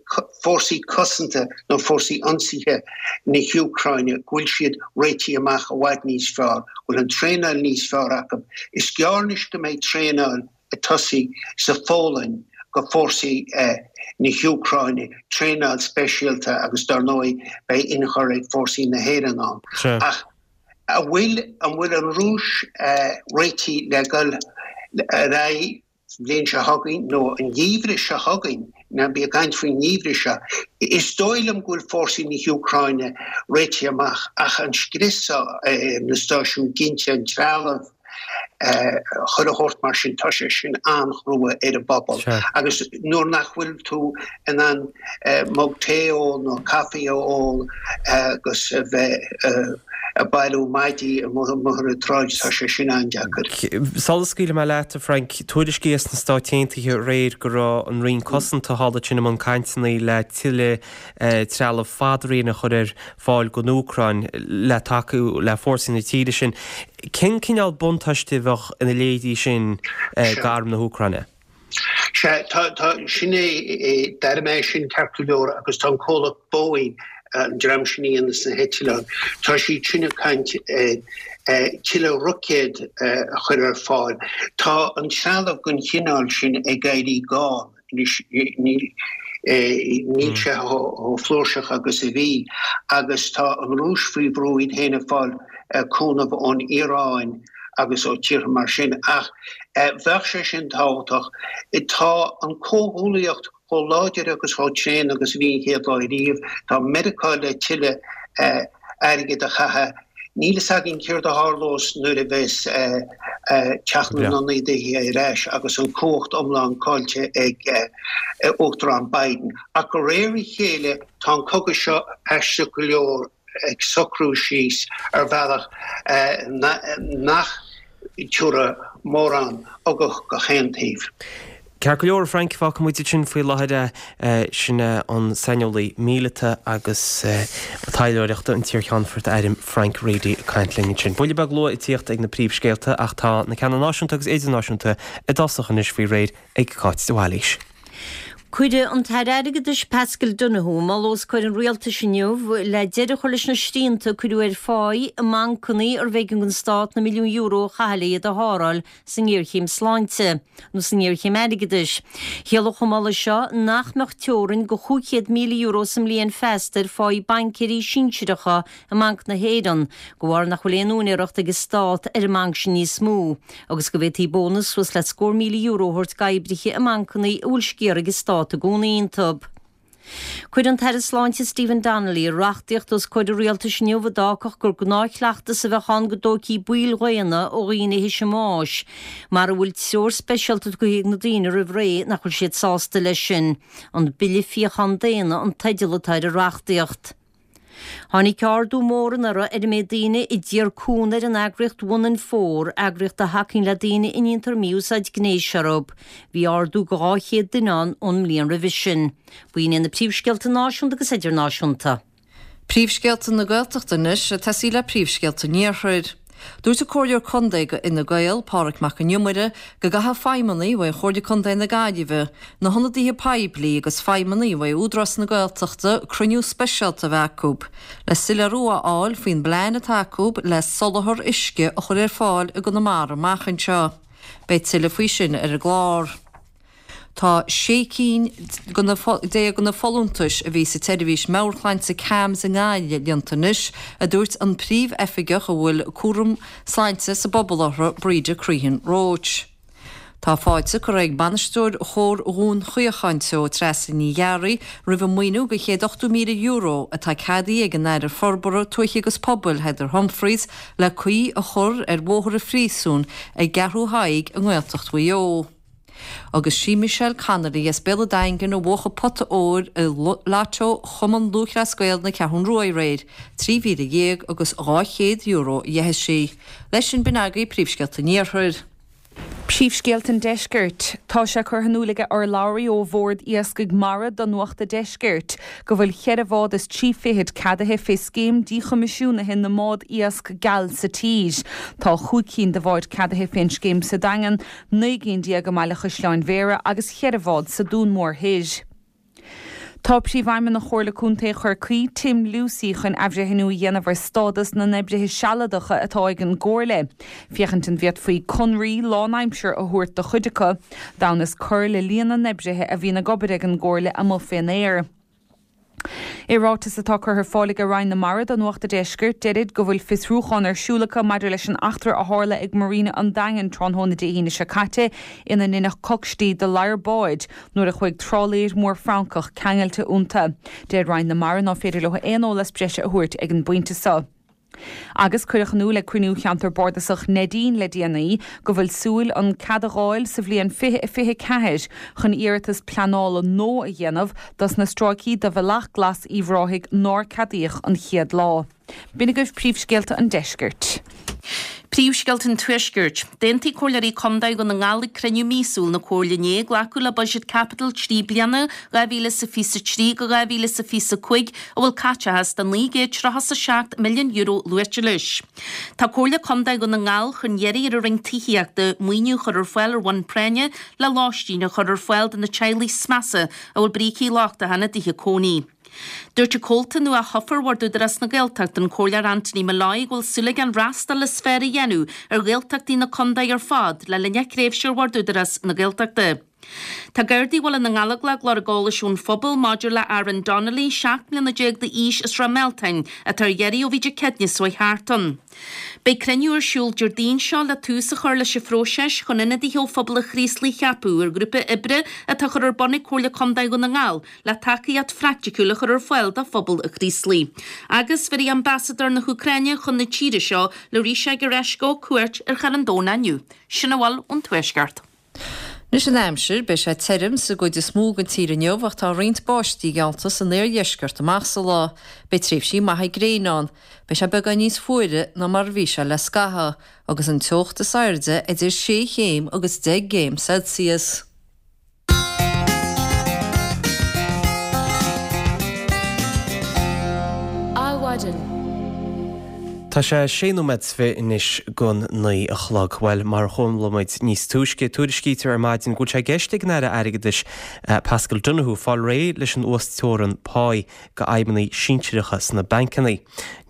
fórsaí cosanta nó fórsaí ionsaithe na hÚcráine, go bhfuil siad réitithe amach i bhfad níos fearr, go bhfuil an traenáil níos fearr acu. Is gearr anois go mbeidh traenáil ag tosaí sa Pholainn go fórsaí na hÚcráine, traenáil speisialta agus dar ndóigh beidh inchur ag fórsaí na hÉireann ann. Ach an bhfuil, an bhfuil an Rúis réitithe le dul ar aghaidh? Sa bhliain seo chugainn, nó an geimhreadh seo chugainn, ná bí ag caint faoin ngeimhreadh seo, is dóigh liom go bhfuil fórsaí na hÚcráine réitithe amach ach an scrios seo, na stáisiúin ginte, an trealamh, chuile shórt mar sin, tá sé sin an-chrua ar an bpobal. Agus nuair nach bhfuil tú in ann mug tae a ól nó caife a ól agus a bheith ag bailiú maidí amuigh ar an tsráid, tá sé sin an-deacair. Sula scaoilfidh mé leat, a Frank, tuairiscí as na Stáit Aontaithe aréir go raibh an Roinn Cosanta thall ansin i mbun cainteanna le tuilleadh trealamh fadraoin a chur ar fáil don Úcráin le tacú le fórsaí na tíre sin. Cén cineál buntáiste a bheadh ina leithéidí sin d'arm na hÚcráine? Sea, tá, tá, sin é, d'airigh mé sin ceart go leor agus tá an comhlacht Boeing, an dream sin a dhéanas na heitleáin, tá siad sin ag caint ar tuilleadh roicéad a chur ar fáil. Tá an trealamh den chineál sin ag éirí gann anois, níl, níl sé chomh flúirseach agus a bhí agus tá an Rúis faoi bhrú iad féin ag fáil cúnamh ón Iaráin agus ó tíortha mar sin. Ach bheadh sé sin tábhachtach. Tá an comhghuaillíocht chomh láidir agus chomh tréan agus a bhí an chéad lá riamh. Tá Meiriceá le tuilleadh airgid a chaitheamh. Níl fhios againn céard a tharlós nuair a bheas Teach na nIonadaithe ar ais agus an cumhacht iomlán caillte ag Uachtarán Biden. Ach de réir a chéile tá an cogadh seo aisteach go leor. ag socrú síos ar bhealach nach dtabharfaidh mórán ugach go haon taobh. Ceart go leor, a Frank, fágfaidh muid ansin faoi láthair é. Sin é an saineolaí míleata agus taidhleoireachta, an t-iarCheannfort airm Frank Reidy ag caint linn ansin. Buille beag luath ag tíocht ag na príomhscéalta ach tá na ceanna náisiúnta agus idirnáisiúnta i dtosach anois faoi réir ag Cáit de Bhailís. Cuireadh an tAire Airgeadais Paschal Donohoe moladh os comhair an Rialtais inniu le deireadh a chur leis na srianta a cuireadh ar pháí i mbancanna arbh éigean don Stát na milliúin euro a chaitheamh le iad a sháráil sa ngéarchéim sláinte nó sa ngéarchéim airgeadais. Chiallódh an moladh seo nach mbeadh teorainn de €500,000 sa mbliain feasta ar pháí baincéirí sinsearacha i mBanc na hÉireann, de bharr nach bhfuil aon úinéireacht ag an Stát ar an mbanc sin níos mó, agus go bhféadfaí bónas suas le scór €1,000 a thabhairt d'oibrithe i mbancanna a bhfuil sciar ag an Stát i gcónaí iontu. Cuireadh an tAire Sláinte Stephen Donnelly reachtaíocht os comhair an Rialtais inniu a d'fhágfadh gur gnáthchleachtas a bheadh ann go dtóigthí baill dhaonna ó dhaoine théis a mbáis, mara bhfuil treoir speisialta tugtha ag na daoine roimh ré nach bhfuil siad sásta leis sin. An Bille Fíochán Daonna an teideal atá ar an reachtaíocht. Tháinig ardú mór anuraidh ar an méid daoine a d'iarr cúnamh ar an eagraíocht One in Four, eagraíocht a thacaíonn le daoine a ndéantar mí-úsáid gnéis orthu. Bhí ardú de 200 duine ann ón mbliain roimhe sin. B'in iad na príomhscéalta náisiúnta agus idirnáisiúnta. Príomhscéalta na Gaeltachta anois, ag tosaí le príomhscéalta an Iarthair. Dúirt an Comhairleoir Contae do Fhine Gael, Pádraig Mac an Iomaire, go gcaithfidh feidhmeannaigh uaidh Chomhairle Contae na Gaillimhe, na hionadaithe poiblí agus feidhmeannaigh uaidh Údarás na Gaeltachta cruinniú speisialta a bheith acu le soiléiriú a fháil faoin bplean atá acu le soláthar uisce a chur ar fáil i gConamara amach anseo. Beidh tuilleadh faoi sin ar an gclár. Tá 16 cinn de na folúntais a bhí sa tseirbhís meabhairshláinte CAMHS i nGaillimh líonta anois, a dúirt an príomhoifigeach a bhfuil cúram sláinte sa bpobal orthu, Breda Crehan Roche. Tá fáilte curtha ag bainisteoir Chór Dhún Chaocháin Teo, Treasa Ní Ghearraigh, roimh an maoiniú de €180,000 atá ceadaithe ag an Aire Forbartha Tuaithe agus Pobail, Heather Humphreys, le caoi a chur ar Bhóthar an Phríosúin i gCeathrú Thaidhg i nGaeltacht Mhaigh Eo. Agus sí Michelle Connolly as Béal an Daingin a bhuaigh an pota óir i Lotto Chumann Lúthchleas Gael na Ceathrún Rua aréir, €13,000 agus €200 a gheibh sí. Leis sin b'in agaibh príomhscéalta an Iarthair. Príomhscéalta an Deiscirt. Tá sé curtha in iúl ag urlabhraí ó Bhord Iascaigh Mara do Nuacht a' Deiscirt go bhfuil cheithre bhád is trí fichid ceadaithe fé scéim díchoimisiúnaithe na mbád iasc geal sa tír. Tá chúig cinn de bháid ceadaithe fén scéim sa Daingean, 19 gcinn i mBaile Chaisleáin Bhéarra agus cheithre bhád sa Dún Mór Thoir. Tá Príomhfheidhmeannach Chomhairle Contae Chorcaí, Tim Lucey, chun athbhreithniú a dhéanamh ar stádas na n-oibrithe sealadacha atá ag an gComhairle, féachaint an bhféadfaí conraí lánaimseartha a thabhairt do chuid acu, d'fhonn is cur le líon na n-oibrithe a bhíonn ag obair ag an gComhairle amuigh fén aer. I ráiteas atá curtha ar fáil ag Roinn na Mara do Nuacht a' Deiscirt, deirid go bhfuil fiosrúchán ar siúl acu maidir leis an eachtra a tharla ag Marina an Daingin tráthnóna Dé hAoine seo caite ina ndeineadh cocstí de ladhar báid nuair a chuaigh trálaeir mór Francach ceangailte iontu. Deir Roinn na Mara ná féidir leo aon eolas breise a thabhairt ag an bpointe seo. Agus cuireadh in iúl ag cruinniú Cheantar Bardasach Neidín le déanaí go bhfuil súil an cead a dh'fháil sa bhliain 2024 chun iarratas pleanála nua a dhéanamh dos na stráicí de Bhealach Glas Uíbh Ráthaigh nár ceadaíodh an chéad lá. B'in agaibh príomhscéalta an deiscirt. Príomhscéalta an Tuaiscirt. D'aontaigh Comhairleoirí Contae Dhún na nGall ag cruinniú míosúil na Comhairle inné glacadh le Buiséad Caipitil 3 bliana 2023-2025 a bhfuil caiteachas de €937 milliún luaite leis. Tá Comhairle Contae Dhún na nGall chun iarraidh ar an Roinn Tithíochta maoiniú a chur ar fáil ar bhonn práinne le lóistín a chur ar fáil do na teaghlaigh is measa a bhfuil brící lochtacha ina dtithe cónaí. Dúirt an comhalta nua thofa ar Bhord Údarás na Gaeltachta, an Comhairleoir Anthony Molloy, go bhfuil súil aige an fhreastal is fearr a dhéanamh ar Ghaeltachtaí na contae ar fad le linn a thréimhse ar Bhord Údarás na Gaeltachta. Tá Gardaí Bhaile na nGallóglach ag lorg eolais ón phobal maidir le Aaron Donnelly, 17 mbliana d'aois as Ráth Mealtain, atá ar iarraidh ó bhí Dé Céadaoine seo thart ann. Beidh cruinniú ar siúl Déardaoin seo le tús a chur leis an phróiseas chun ionadaithe ó phobal an Chraoslaigh a cheapadh ar ghrúpa oibre atá á chur ar bun ag Comhairle Contae Dhún na nGall le tacaíocht phraiticiúil a chur ar fáil do phobal an Chraoslaigh. Agus bhéarfaidh Ambasadóir na hÚcráine chun na tíre seo, Larisa Gereshko, cuairt ar Charn Domhnach inniu. Sin a bhfuil ón Tuaisceart. Anois an aimsir, beidh sé tirim sa gcuid is mó den tír inniu ach tá roinnt báistí geallta san iardheisceart amach sa lá. Beidh tréimhsí maithe gréine ann. Beidh sé beagán níos fuaire ná mar a bhí sé le scaitheamh, agus an teocht is airde idir sé chéim agus 10 gcéim Celsius. Adhmhaidin. Tá sé sé nóiméad is fi anois gon 9 a chlog. Bhuel, mar a chuala muid níos túisce, tuairiscítear ar maidin go bhfuil sé i gceist ag an Aire Airgeadais Paschal Donohoe fáil réidh leis an uasteorainn páí go fheidhmeannaigh sinsearacha sna bancanna.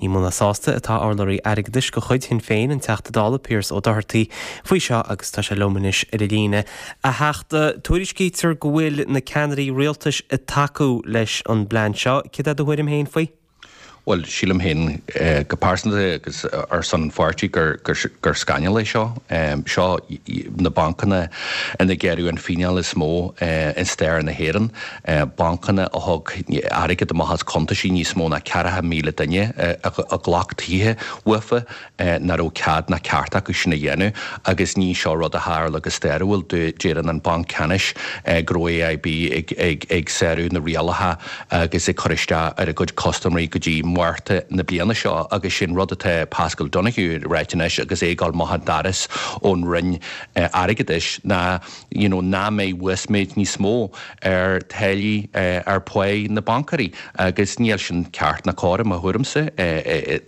Ní mó ná sásta atá urlabhraí airgeadais de chuid Shinn Féin, an Teachta Dála Pearse Ó Dochartaigh, faoi seo agus tá sé liom anois ar an líne. A Theachta, tuairiscítear go bhfuil na ceannairí rialtais ag tacú leis an bplean seo. Céard é do thuairim féin faoi? Bhuel, sílim féin go pearsanta agus ar son an pháirtí gur scannal é seo. Seo na bancanna ina gearradh an fíneáil is mó i stair na hÉireann. Bancanna a thug airgead amach as cuntaisí níos mó ná 40,000 duine a ghlac tithe uafa. nach raibh cead ná ceart acu sin a dhéanamh agus ní seo rud a tharla go stairiúil. Deireann an Banc Ceannais go raibh AIB ag sárú na rialacha agus ag cur isteach ar a gcuid custaiméirí go dtí Márta na bliana seo agus sin rud atá Paschal Donohoe ag ráit anois agus é ag dul amach an doras ón Roinn Airgeadais ná you know nach mbeidh uasmhéid níos mó ar táillí ar pháigh na baincéirí agus níl sin ceart ná cóir i mo thuairimse.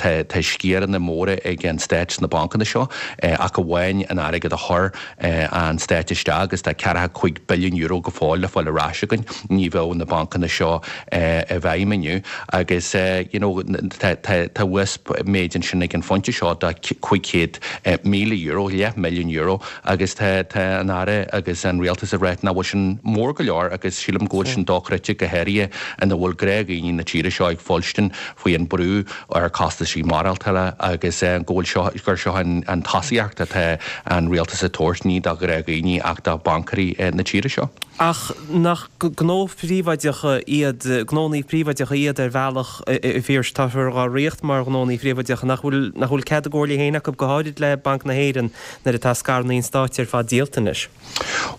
Tá tá sciaranna móra ag an Stát sna bancanna seo ach amháin an airgead a chuir an Stát isteach agus tá €45 billiún go fóill le fáil ar ais againn ní bheadh na bancanna seo i bhfeidhm inniu agus you know tá tá tá uasmhéid ansin ag an phointe seo de €500,000, leath milliún euro Agus tá tá an Aire agus an Rialtas ag ráit nach bhfuil sin mór go leor agus sílim go bhfuil sin dochreidte go háirithe ina bhfuil gnáthdhaoine na tíre seo ag fuilstin faoi an brú ar costaisí maireachtála agus go bhfuil seo gur seo an an tosaíocht atá an Rialtas ag tabhairt ní do ghnáthdhaoine ach do bhaincéirí na tíre seo. Ach nach gnó príobháideacha iad, gnónnaí príobháideacha iad ar bhealach, a Phiarais, táthar dhá ríocht mar ghnónnaí príobháideacha, nach bhfuil, nach bhfuil cead a gcomhairle féin acu, go háirid le Banc na hÉireann, nuair atá scaireanna an Stáit ar fad díolta anois?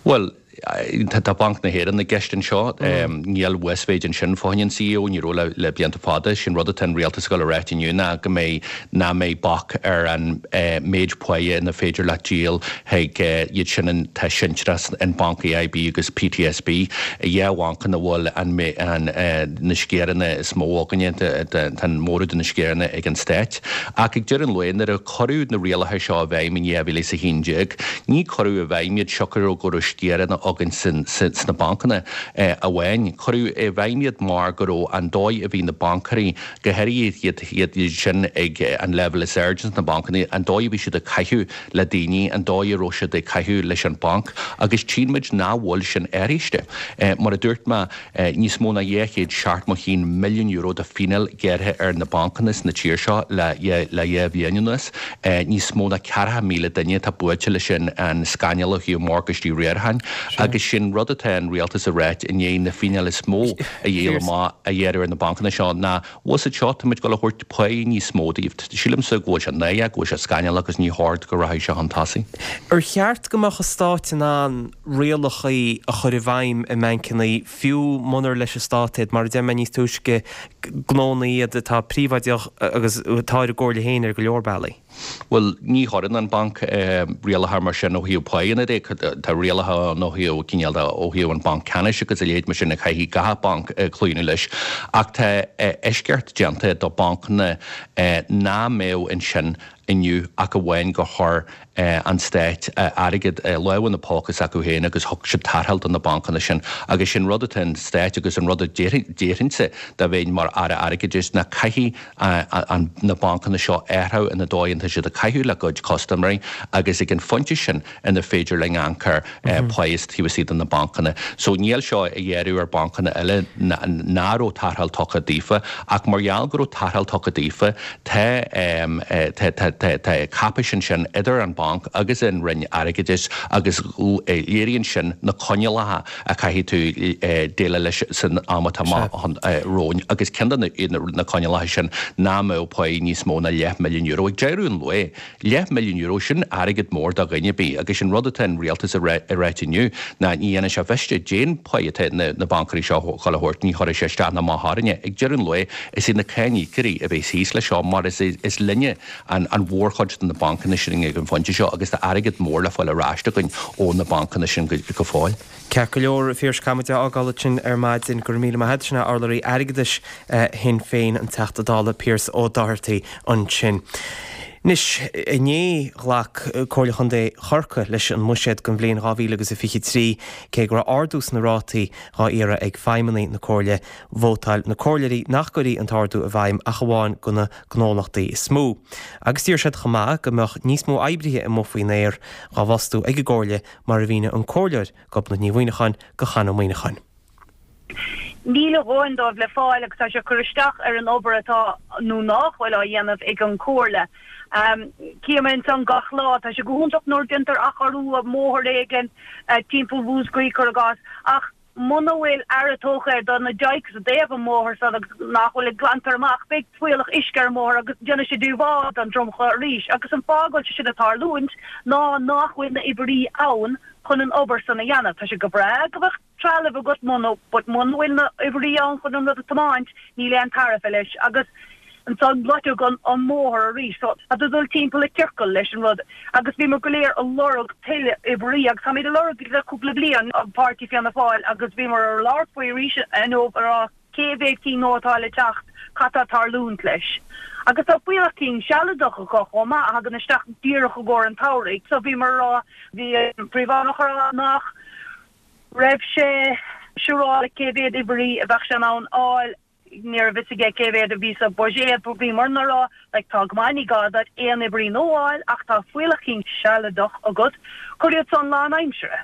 Bhuel, tá Banc na hÉireann i gceist anseo. Níl uasmhéid ansin fá choinne an CEO, ní raibh le blianta fada. Sin rud atá an rialtas ag dul a ráit inniu ná go mbeidh, nach mbeidh bac ar an méid páighe ina féidir leat díol chuig iad sin atá sinsearach in Banc AIB agus PTSB, dhá bhanc ina bhfuil an na sciaranna is mó againne, tá an móramh de na sciaranna ag an Stát. Ach ag deireadh an lae, nuair a cuireadh na rialacha seo i bhfeidhm in 2011, ní cuireadh i bhfeidhm iad siocair go raibh sciaranna againn sna bancanna amháin. Cuireadh i bhfeidhm iad mar go raibh an dóigh a bhí na baincéirí, go háirithe iad sin ag an leibhéal is airde sna bancanna, an dóigh a bhí siad ag caitheamh le daoine, an dóigh a raibh siad ag caitheamh leis an banc agus tchíonn muid nach bhfuil sin athraithe. Mar a dúirt mé, níos mó ná €271 milliún de phíneáil gearrtha ar na bancanna sna tír seo le le dhá bhliain anuas. Níos mó ná 40,000 duine atá buailte leis an scannal ó thaobh morgáistí riaracháin agus sin rud atá an rialtas a ráit i ndiaidh na fíneáil is mó a dhíol amach a ghearradh ar na bancanna seo ná Bhfuil fhios agat seo, táimid ag dul a thabhairt páí níos mó daoibh. Sílimse go bhfuil sé náireach, go bhfuil sé scannalach agus ní chóir go rachadh sé chun tosaigh. Ar cheart go mbeadh an Stát in ann rialacha a chur i bhfeidhm i mbancanna, fiú munar leis an Stát iad? Mar a deir mé níos túisce, gnónna iad atá príobháideach agus atá ar a gcomhairle féin ar go leor bealaí. Bhuel, ní chuireann an banc rialacha mar sin ó thaobh páigheanna de. Tá rialacha ann ó thaobh cineál de, ó thaobh an Banc Ceannais agus a leithéid mar sin a chaithfidh gach banc cloí leis. Ach tá eisceacht déanta do bancanna ná mbeadh ansin inniu ach amháin gur chuir an Stát airgead lámh ina póca s'acu féin agus thug siad tarrtháil do na bancanna sin. Agus sin rud atá an Stát agus an rud a déarfainnse dá bheinn mar Aire Airgeadais ná caithfidh na bancanna seo athrú ina dóigh atá siad ag caitheamh le gcuid custaiméirí agus ag an phointe sin ina féidir linn amharc ar pháigh taobh istigh de na bancanna. So níl seo ag gearradh ar bancanna eile ná raibh tarrtháil tugtha daofa ach mar gheall go raibh tarrtháil tugtha daofa tá tá cáipéis ansin idir an banc agus an Roinn Airgeadais agus léiríonn sin na coinníollacha a chaithfidh tú déileáil leis san am atá amach romhainn agus ceann de na coinníollacha sin ná mbeadh páí níos mó ná leathmhilliún euro. Ag deireadh an lae, leathmhilliún euro, sin airgead mór do dhuine ar bith agus an rud atá an rialtas a ráit inniu ná ní dhéanann sé mhiste cén pá atá na baincéirí seo dhul a thabhairt, ní chuirfidh sé isteach ná amach orainne. Ag deireadh an lae, is iad na cáiníocóirí a bheas thíos leis seo mar is linne an mhórchuid de na bancanna sin ag an phointe seo agus tá airgead mór le fáil ar ais againn ó na bancanna sin go fóill. Ceart go leor, a Phiarais, caithfidh muid é a fhágáil ansin ar maidin. Go raibh míle maith agat. Sin é urlabhraí airgeadais Shinn Féin, an Teachta Dála Pearse Ó Dochartaigh ansin. Anois, inné ghlac Comhairle Chontae Chorcaí leis an mbuiséad don bhliain 2023. Cé go raibh ardú sna rátaí dhá iarraidh ag feidhmeannaigh na Comhairle, vótáil na comhairleoirí nach gcuirfí an t-ardú i bhfeidhm ach amháin do na gnólachtaí is mó. Agus d'iarr siad chomh maith go mbeadh níos mó oibrithe amuigh faoin aer dhá bhfostú ag an gComhairle mar a mhínigh an Comhairleoir Gobnait Ní Mhuineacháin do Chon Ó Muíneacháin. Níl a dhóthain dóibh le fáil agus tá sé ag cur isteach ar an obair atá, nó nách bhfuil, á dhéanamh ag an Chomhairle. Cím ansan gach lá, tá sé go hiontach nuair déantar athchóiriú ar bhóthar éigin timpeall Mhúscraí, cuir i gcás, ach muna bhfuil aire tógtha ar do na dykes i dtaobh an bhóthair san agus nach bhfuil glantar amach, beidh fuíollach uisce ar an mbóthar agus déanfaidh sé díobháil don dromchla arís. Agus an fáth go bhfuil sé sin ag tarlúint ná nách bhfuil na oibrí ann chun an obair san a dhéanamh. Tá sé go breá go bheadh trealamh agat muna, but muna bhfuil na oibrí ann chun an rud a tiomáint, níl aon tairbhe leis agus ansan loitfidh an an mbóthar arís. So tá tú ag dul timpeall i ciorcal leis an rud agus bhíomar go léir a lorg tuilleadh oibrí agus táimid a lorg le cúpla bliain, páirtí Fianna Fáil agus bhíomar ar labhairt faoi arís inniu a rá cé mhéad cinn nua atá le teacht, cad tá ag tarlúint leis. Agus tá fuíollach cinn sealadach acu chomh maith a thagann isteach díreach i gcomhair an tsamhraidh. So bhíomar a rá, bhí an Príomhfheidhmeannach a rá nach raibh sé siúráilte cé mhéad oibrí a bheadh sé in ann fháil, ní raibh fhios aige cé mhéad a bhí sa bhuiséad, but bhíomar a rá like tá go maith, ní gá duit aon oibrí nua a fháil ach tá fuíollach cinn sealadach agat, cuir iad san lánaimsire.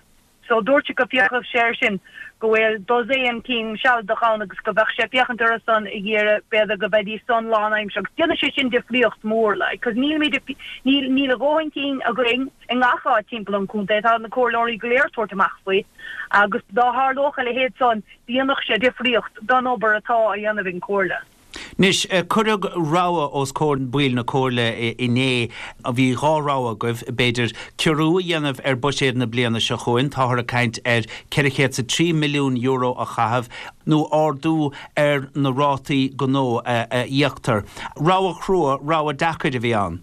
So dúirt sé go bhféachfadh sé air sin, go bhfuil dosaen cinn sealadach ann agus go bheadh sé ag féachaint orthu san ag iarraidh b'fhéidir go mbeidís san lánaimsire agus déanfaidh sé sin difríocht mhór like cos nílimid níl níl a dhóthain cinn againn i ngach áit timpeall an chontae, tá na comhairleoirí go léir ag tabhairt amach faoi agus dá tharlódh a leithéid san dhéanfadh sé difríocht don obair atá á dhéanamh ag an Chomhairle. Anois, cuireadh rogha os comhair baill na Comhairle inné. Bhí dhá rogha agaibh, b'fhéidir, ciorrú a dhéanamh ar buiséad na bliana seo chugainn, táthar ag caint ar €403 milliún a chaitheamh, nó ardú ar na rátaí gnó a íoctar. Rogha chrua, rogha deacair a bhí ann.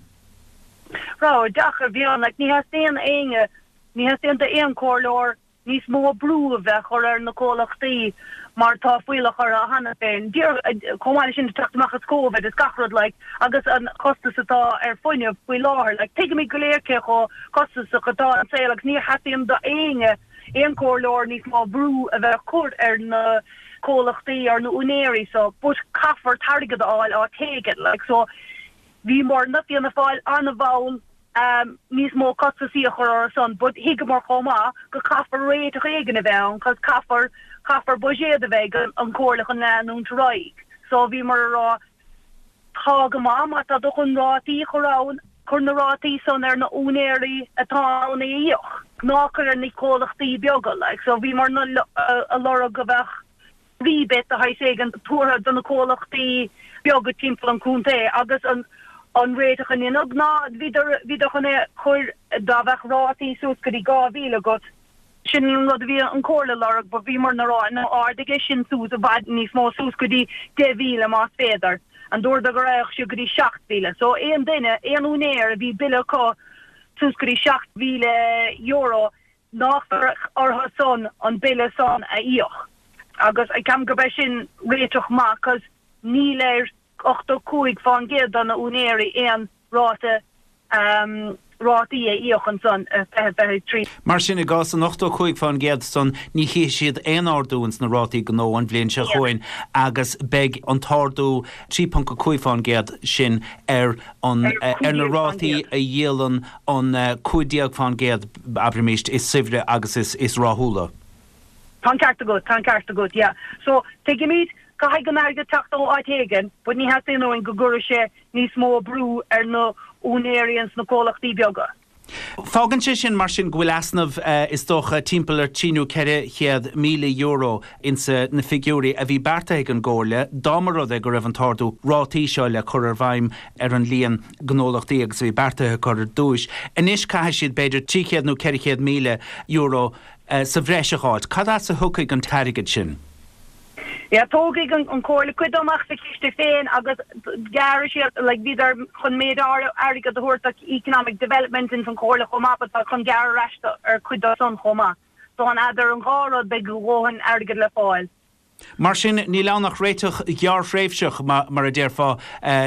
Rogha deacair a bhí ann. Like, ní theastaíonn éinne, ní theastaíonn d'aon chomhairleoir níos mó brú a bheith á chur ar na comhlachtaí mar tá fuíollach orthu cheana féin. Chomh maith leis sin teacht amach as Covid is gach rud like agus an costas atá ar fuinneamh faoi láthair like tuigimid go léir cé chomh costasach atá an saol agus ní theastaíonn d'éinne, aon chomhairleoir níos mó brú a bheith á chur ar na comhlachtaí ar na úinéirí so but caithfear t-airgead a fháil áit éigin like so bhíomarna, Fianna Fáil, an-mhall níos mó costasaí a chur orthu san but thuigeamar chomh maith go caithfear réiteach éigin a bheith ann cos caithfear, caithfear buiséad a bheith ag an Chomhairle chun leanúint ar aghaidh. So bhíomar a rá tá go maith má tá tú chun rátaí a chur ann, cuir na rátaí san ar na úinéirí atá in ann é a íoc, ná cuir ar na comhlachtaí beaga like. So bhíomar a lorg go bheadh rebate de shaghas éigin tabhartha do na comhlachtaí beaga timpeall an chontae agus an an réiteach a deineadh ná bhíodar bhíodar chun é chur dá bheadh rátaí suas go dtí 2,000 agat. Sin an rud a bhí an Chomhairle a lorg but bhíomar a rá no ardaigh é sin suas i bhfad níos mó suas go dtí 10,000 más féidir. And dúradar go raghadh siad go dtí 7,000. So aon duine, aon úinéir a bhí bille acu suas go dtí €7,000 nach mbeadh orthu san an bille san a íoc agus ceapaim gurb é sin réiteach maith cos níl ar 85% de na úinéirí aon ráta rátaí a íoc ansan i 2023. Mar sin, i gcás an 85% san, ní chífidh siad aon ardú ins na rátaí gnó an bhliain seo chugainn agus beidh an t-ardú 3.5% sin ar an ar na rátaí a dhíolann an 15%, abraimis, is saibhre agus is rathúla. Tá an ceart agat, tá an ceart agat, yeah. So, tuigimid, caithfidh an airgead teacht ó áit éigin, but ní theastaíonn uainn go gcuirfidh sé níos mó brú ar na úinéirí ins na comhlachtaí beaga. Fágann sé sin, mar sin, go bhfuil easnamh, is dócha, timpeall ar trí nó €400,000 insa na figiúirí a bhí beartaithe ag an gComhairle, dá mba rud é go raibh an t-ardú rátaí seo le cur ar bhfeidhm ar an líon gnólachtaí agus a bhí beartaithe acu ar dtúis. Anois caithfidh siad b'fhéidir €300 nó €400,000 sa bhreis a dh'fháilt. Cad as a thiocfaidh an t-airgead sin? Yeah, tógfaidh an Chomhairle cuid dó amach sa chiste féin agus gearrfaidh siad, like, bhíodar chun méid áirithe airgead a thabhairt do economic development ins an Chomhairle chomh maith but tá chun gearradh ar ais ar cuid dó san chomh maith. So an eadar an dhá rud beidh a dhóthain airgead le fáil. Mar sin, níl ann ach réiteach gearrthréimhseach, mar a déarfá,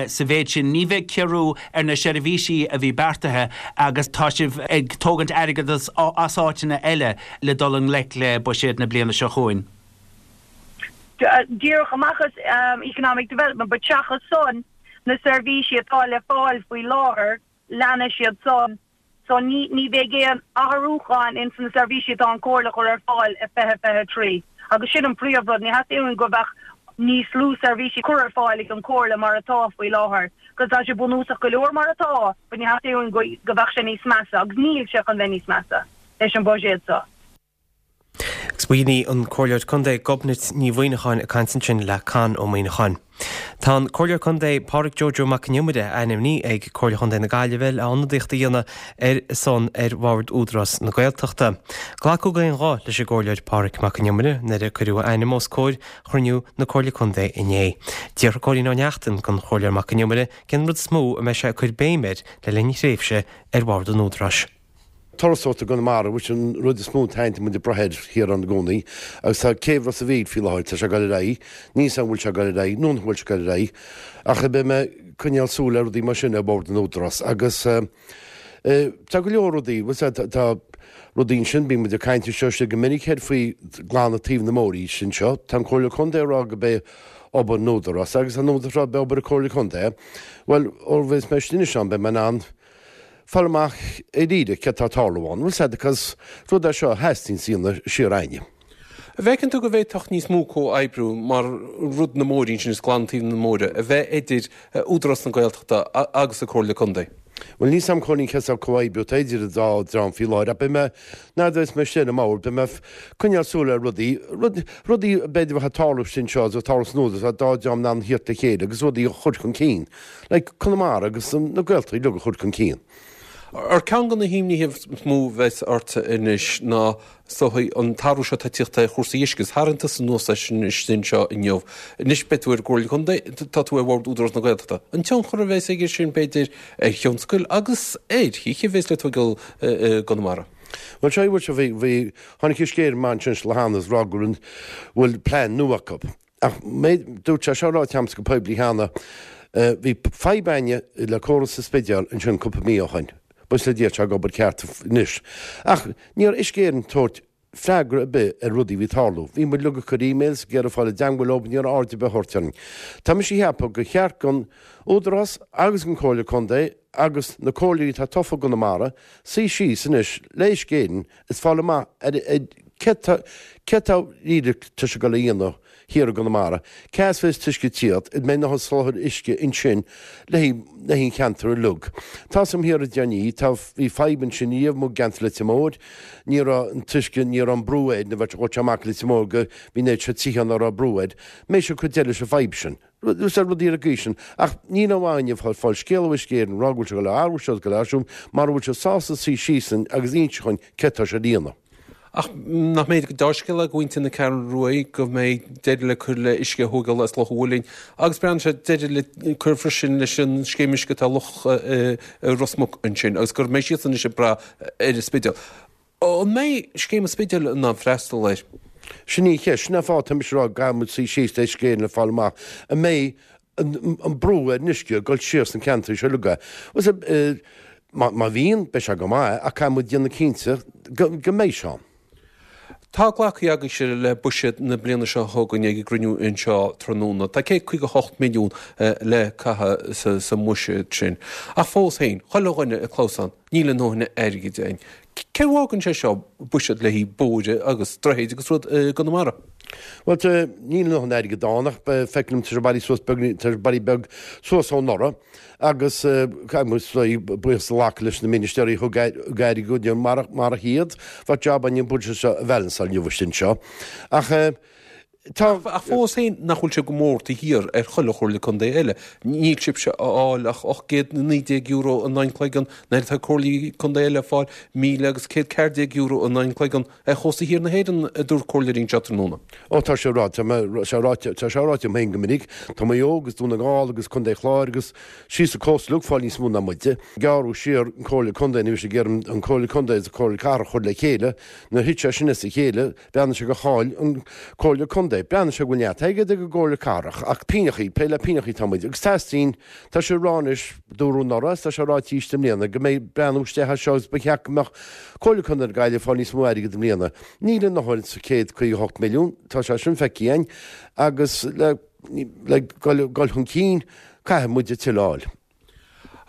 sa mhéid sin. Ní bheidh ciorrú ar na seirbhísí a bhí beartaithe agus tá sibh ag tógaint airgead as áiteanna eile le dul i ngleic le buiséad na bliana seo chugainn. Díreach amach as Economic Development, but seachas san, na seirbhísí atá le fáil faoi láthair, leanfaidh siad san. So ní ní bheidh aon athrúchán ins na seirbhísí atá an Comhairle a chur ar fáil i 2023. Agus sin an príomh rud, ní theastaíonn uainn go bheadh níos lú seirbhísí cur ar fáil ag an Comhairle mar atá faoi láthair. Cos tá sé bunúsach go leor mar atá, but ní theastaíonn uainn go go bheadh sé níos measa, agus níl sé chun bheith níos measa leis an buiséad seo. Agus b'in í an Comhairleoir Contae Gobnait Ní Mhuimhneacháin ag caint ansin le Con Ó Muimhneacháin. Tá an Comhairleoir Contae Pádraig Joe Joe Mac an Iomaire ainmnithe ag Comhairle Chontae na Gaillimhe le ionadaíocht a dhéanamh ar a son ar Bhord Údarás na Gaeltachta. Glacadh d'aon ghuth leis an gComhairleoir Pádraig Mac an Iomaire nuair a cuireadh a ainm os comhair chruinniú na Comhairle Contae inné. D'fhiafraigh Cóilín Ó Neachtain den Chomhairleoir Mac an Iomaire cén rud is mó a mbeidh sé ag cur béim air le linn a thréimhse ar Bhord an Údaráis. Turasóireacht i gConamara, which an rud is mó atá muid ag brath air thiar ann i gcónaí, agus tá céibh Ros a' Mhíl faoi láthair, tá sé ag dul ar aghaidh, níl 's a'm an bhfuil sé ag dul ar aghaidh nó nach bhfuil sé ag dul ar aghaidh, ach beidh mé ag coinneáil súil ar rudaí mar sin ar bhord an Údarás agus tá go leor rudaí, bhfuil 's a'd, tá rudaí ansin, bíonn muid ag caint anseo istigh go minic air faoi glanadh taobh na móiríse anseo, tá an Comhairle Contae ag rá go b'é obair an Údarás agus an Údarás ag rá b'é obair an Comhairle Contae, bhuel, ó bheas mé istigh anois ann beidh mé in ann fáil amach i ndáiríre céard tá ag tarlú ann, bhfuil 's a'd, because rud é seo a theastaíonns a dhéanamh siar againne. An bhfeiceann tú go bhféadfadh níos mó comhoibriú mar rud na mbóithrí ansin is glanadh taobh na móire a bheith idir Údarás na Gaeltachta agus an Comhairle Contae? Bhuel níl 's a'm Cóilín cén saghas comhoibriú atá idir an dá dream faoi láthair ach beidh mé, nuair a bheas mé istigh ar an mbord, beidh mé ag coinneáil súil ar rudaí, rud, rudaí b'fhéidir a bheadh ag tarlú anseo agus ag tarlú san Údarás, an dá dream in ann theacht le chéile agus rudaí a chur chun cinn. Like Conamara agus na Gaeltachtaí uilig a chur chun cinn. Ar ceann de na himníthe is mó a bheas ort anois ná is dóigh an t-athrú seo atá ag tíocht ar chúrsaí uisce agus tharraing tusa anuas é sin istigh anseo inniu. Anois beidh tú ar an gComhairle Contae, tá tú ar Bhord Údarás na Gaeltachta. An tionchar a bheas aige sin b'fhéidir ar thionscail agus ar thithe a bheas le tógáil i gConamara. Bhuel seo bhí, bhí, bhí, tháinig Uisce Éireann amach ansin le cheana is rá go bhfuil plean nua acu. Ach dúirt sé seo ráite agamsa go poiblí cheana, bhí fadhb againne le córas sa Spidéal ansin cúpla mí ó shoin. Buíochas le Dia tá sé ag obair ceart anois. Ach ní raibh Uisce Éireann ag tabhairt freagra ar bith ar rudaí a bhí ag tarlú. Bhí muid uilig ag cur emails, ag iarraidh fáil i dteangmháil leo, ní raibh aird ar bith á thabhairt orainn. Tá mise ag ceapadh gur cheart don Údarás agus don Chomhairle Contae agus na comhairleoirí atá tofa i gConamara suí síos anois le Uisce Éireann is fáil amach ar céard tá céard tá díreach tá sé ag dul a dhéanamh thiar i gConamara, cá as bheas an t-uisce ag tíocht, an mbeidh a ndóthain soláthar uisce ansin le haghaidh le haghaidh an cheantair uilig. Tá 's a'm thiar i dTirní, tá bhí fadhb ansin riamh amuigh i gceantar Leitir Móir, ní raibh an t-uisce, ní raibh an brú air, nuair a bheadh sé amach i Leitir Móir go bhí an oiread seo tithe ann nach raibh brú air, mbeidh sé ag cur deireadh leis an bhfadhb sin. Is ar rudaí ar an gcaoi sin. Ach níl aon mhaith inniu fáil scéal ó Uisce Éireann ag rá go bhfuil sé ag dul a athrú seo is ag dul a athrú siúd mara bhfuil siad sásta suí síos linn agus inse dhúinn céard tá siad a dhéanamh. Ach nach mb'fhéidir gur deá-scéal é do mhuintir na Ceathrún Rua go mbeidh deireadh le cur le uisce a thógáil as Loch an Mhuilinn agus breathnaíonn sé deireadh le cur freisin leis an scéim uisce atá i Loch Ros Muc ansin agus go mbeidh siadsan anois ag brath ar an Spidéal. An mbeidh scéim an Spidéil in ann freastal air? Sin í an cheist. Sin é an fáth atá mise ag rá go gcaithfidh muid suí síos le Uisce Éireann le fáil amach an mbeidh an brú ar an uisce ag dul siar sna ceantraí seo uilig. Má bhíonn, beidh sé go maith ach caithfidh muid déanamh cinnte go mbeidh sé ann. Tá glactha agaibhse le buiséad na bliana seo chugainn ag an gcruinniú anseo tráthnóna. Tá 158 milliún le caitheamh sa mbuiséad sin. Ach fós féin, chuile dhuine ag clamhsán, níl a ndóthain airgid againn. Cé bhfágann sé seo buiséad le haghaidh bóithre agus droichid agus rud i gConamara? Bhuel, níl a ndóthain airgid ann ach feictear liom tá sé bailithe suas beag, tá sé bailithe beag suas ó anuraidh agus caithfidh muid buíochas a ghlacadh leis na ministéirí a thug airgead dúinn, marach iad bheadh jab againn an buiséad seo a bhalansáil inniu anseo. Ach tá. Ach fós féin, nach bhfuil sé go mór taobh thiar ar chuile chomhairle contae eile? Níl sibhse a fháil ach €819 in aghaidh an chloigeann, nuair atá comhairlí contae eile ag fáil míle agus €114 in aghaidh an chloigeann ar chósta thiar na hÉireann, a dúirt comhairleoirí anseo tráthnóna. Ó tá sé ráite, tá sé ráite, tá sé ráite agam féin go minic, tá Maigh Eo agus Dún na nGall agus Contae Chláir agus síos an cósta uilig ag fáil níos mó ná muide. Gearradh siar an Comhairle Contae, nuair a bhí siad ag iarraidh an Comhairle Contae agus an Comhairle Cathrach a chur le chéile, nuair a thit sé sin as a chéile, bhreathnaigh sé gur chaill an Comhairle Contae. Contae, breathnaíonn sé go bhfuil neart airgead ag an gComhairle Cathrach ach pínneachaí, plé le pínneachaí atá muid agus teastaíonn, tá sé á rá anois, dúradh anuraidh agus tá sé ráite arís i mbliana go mbeidh breathnú isteach air seo agus ba cheart go mbeadh Comhairle Contae na Gaillimhe ag fáil níos mó airgid i mbliana. Níl a ndóthain sa 158 milliún, tá sé sin feicthe againn agus le le dul chun cinn caithfidh muid tuilleadh a fháil.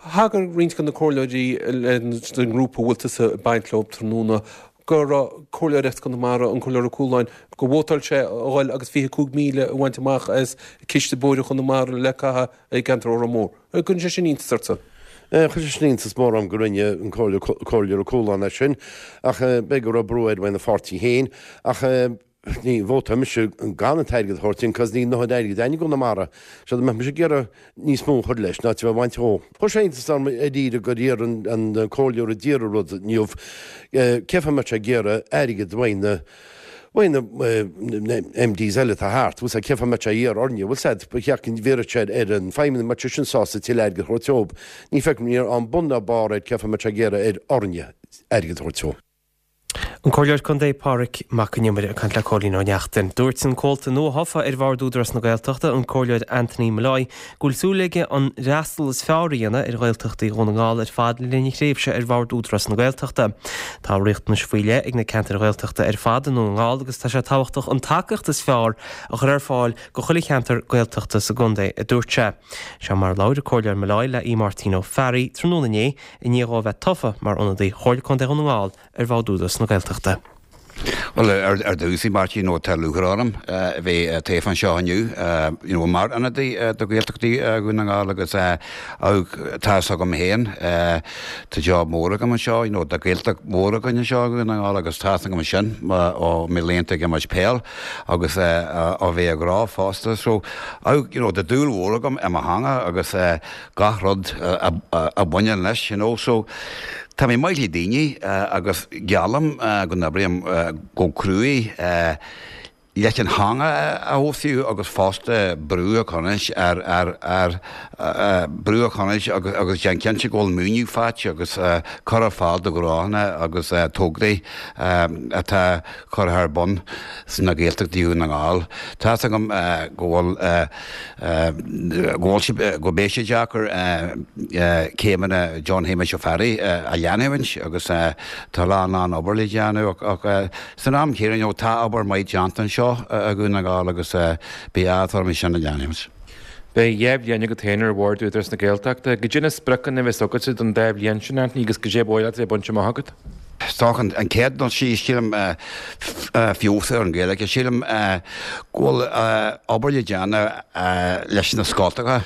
Thagair roinnt de na comhairleoirí den ngrúpa a bhfuil tusa ag baint leo tráthnóna go raibh comhairleoir as Conamara, an Comhairleoir Ó Cualáin, gur vótáil sé a dhul agus 25,000 a bhaint amach as Ciste Bóithre Chonamara le caitheamh i gceantar Órán Mór. An gcuireann sé sin iontas ortsa? Chuir sé sin iontas mór orm go rinne an Comhairleoir Ó Cualáin é sin ach b'fhéidir go raibh brú air óna pháirtí féin ach ní vótáil mise gan an t-airgead a thabhairt sin cos níl a ndóthain airgid againn i gConamara. So dá mbeadh mise ag iarraidh níos mó a chur leis ná a bheith ag baint dhó. Chuir sé iontas orm i ndáiríre gur iarr an comhairleoir a d'iarr an rud inniu cén fáth a mbeadh sé ag iarraidh airgead uaidh na uaidh na MDs eile atá thart, bhfuil 's a'd, cén fáth a mbeadh sé ag iarraidh orainne, bhfuil 's a'd, ba cheart go bhfiafródh sé ar an feidhmeannach mbeadh sé sin sásta tuilleadh airgid a thabhairt dóibh. Ní feicim, ní raibh bun ná barr air cén fáth a mbeadh sé ag iarraidh ar orainne airgead a thabhairt dó. An Comhairleoir Contae Pádraig Mac Con Iomaire ag caint le Cóilín Ó Neachtain. Dúirt an comhalta nuathofa ar Bhord Údarás na Gaeltachta, an Comhairleoir Anthony Molloy, go bhfuil súil aige an fhreastal is fearr a dhéanamh ar Ghaeltachtaí Dhún na nGall ar fad le linn a thréimhse ar Bhord Údarás na Gaeltachta. Tá riachtanais faoi leith ag na ceantair Ghaeltachta ar fad i nDún na nGall agus tá sé tábhachtach an tacaíocht is fearr a chur ar fáil go chuile cheantar Gaeltachta sa gcontae, a dúirt sé. Seo mar a labhair an Comhairleoir Molloy le Aodh Máirtín Ó Fearraigh tráthnóna inné i ndiaidh dhó a bheith tofa mar ionadaí Chomhairle Contae Dhún na nGall ar Bhord Údarás na Gaeltachta. Bhuel, ar dtús, a Mháirtín, tá lúcháir orm a bheith tofa anseo inniu, you know, mar ionadaí do Ghaeltachtaí Dhún na nGall agus tá fhios agam féin, tá job mór agam anseo, you know, tá Gaeltacht mhór againn anseo i Dhún na nGall agus tá fhios agam sin ó mo laethanta ag imirt peil agus ó bheith ag rá fosta. So, you know, tá dúil mhór agam i mo theanga agus gach rud a bhaineann leis, you know. So, tá mé maith le daoine agus geallaim go n-oibreoidh go cruaidh leis an theanga a fheabhsú agus fosta brú a choinneáil ar, ar, ar, brú a choinneáil agus, agus déan cinnte go bhfuil maoiniú faighte agus cur ar fáil do ghnóthanna agus tograí atá curtha ar bun sna Gaeltachtaí Dhún na nGall. Tá fhios agam go bhfuil. go bhfuil sé, go mbeidh sé deacair céimeanna John Shéamais Ó Fearraigh a leanúint agus tá a lán lán obair le déanamh ach san am céanna you know tá obair maith déanta anseo i Dhún na nGall agus beidh áthas orm é sin a leanúint. Beidh 2 bhliain agat féin ar Bhord Údarás na Gaeltachta. Goidé na spriocanna a bheas agatsa don dá bhliain sin, Anthony, agus goidé ba mhaith leat a bheith bainte amach agat? Is dócha an chéad dul síos, sílim, feabhas ar an Ghaeilge. Sílim go bhfuil obair le déanamh leis na scoltacha,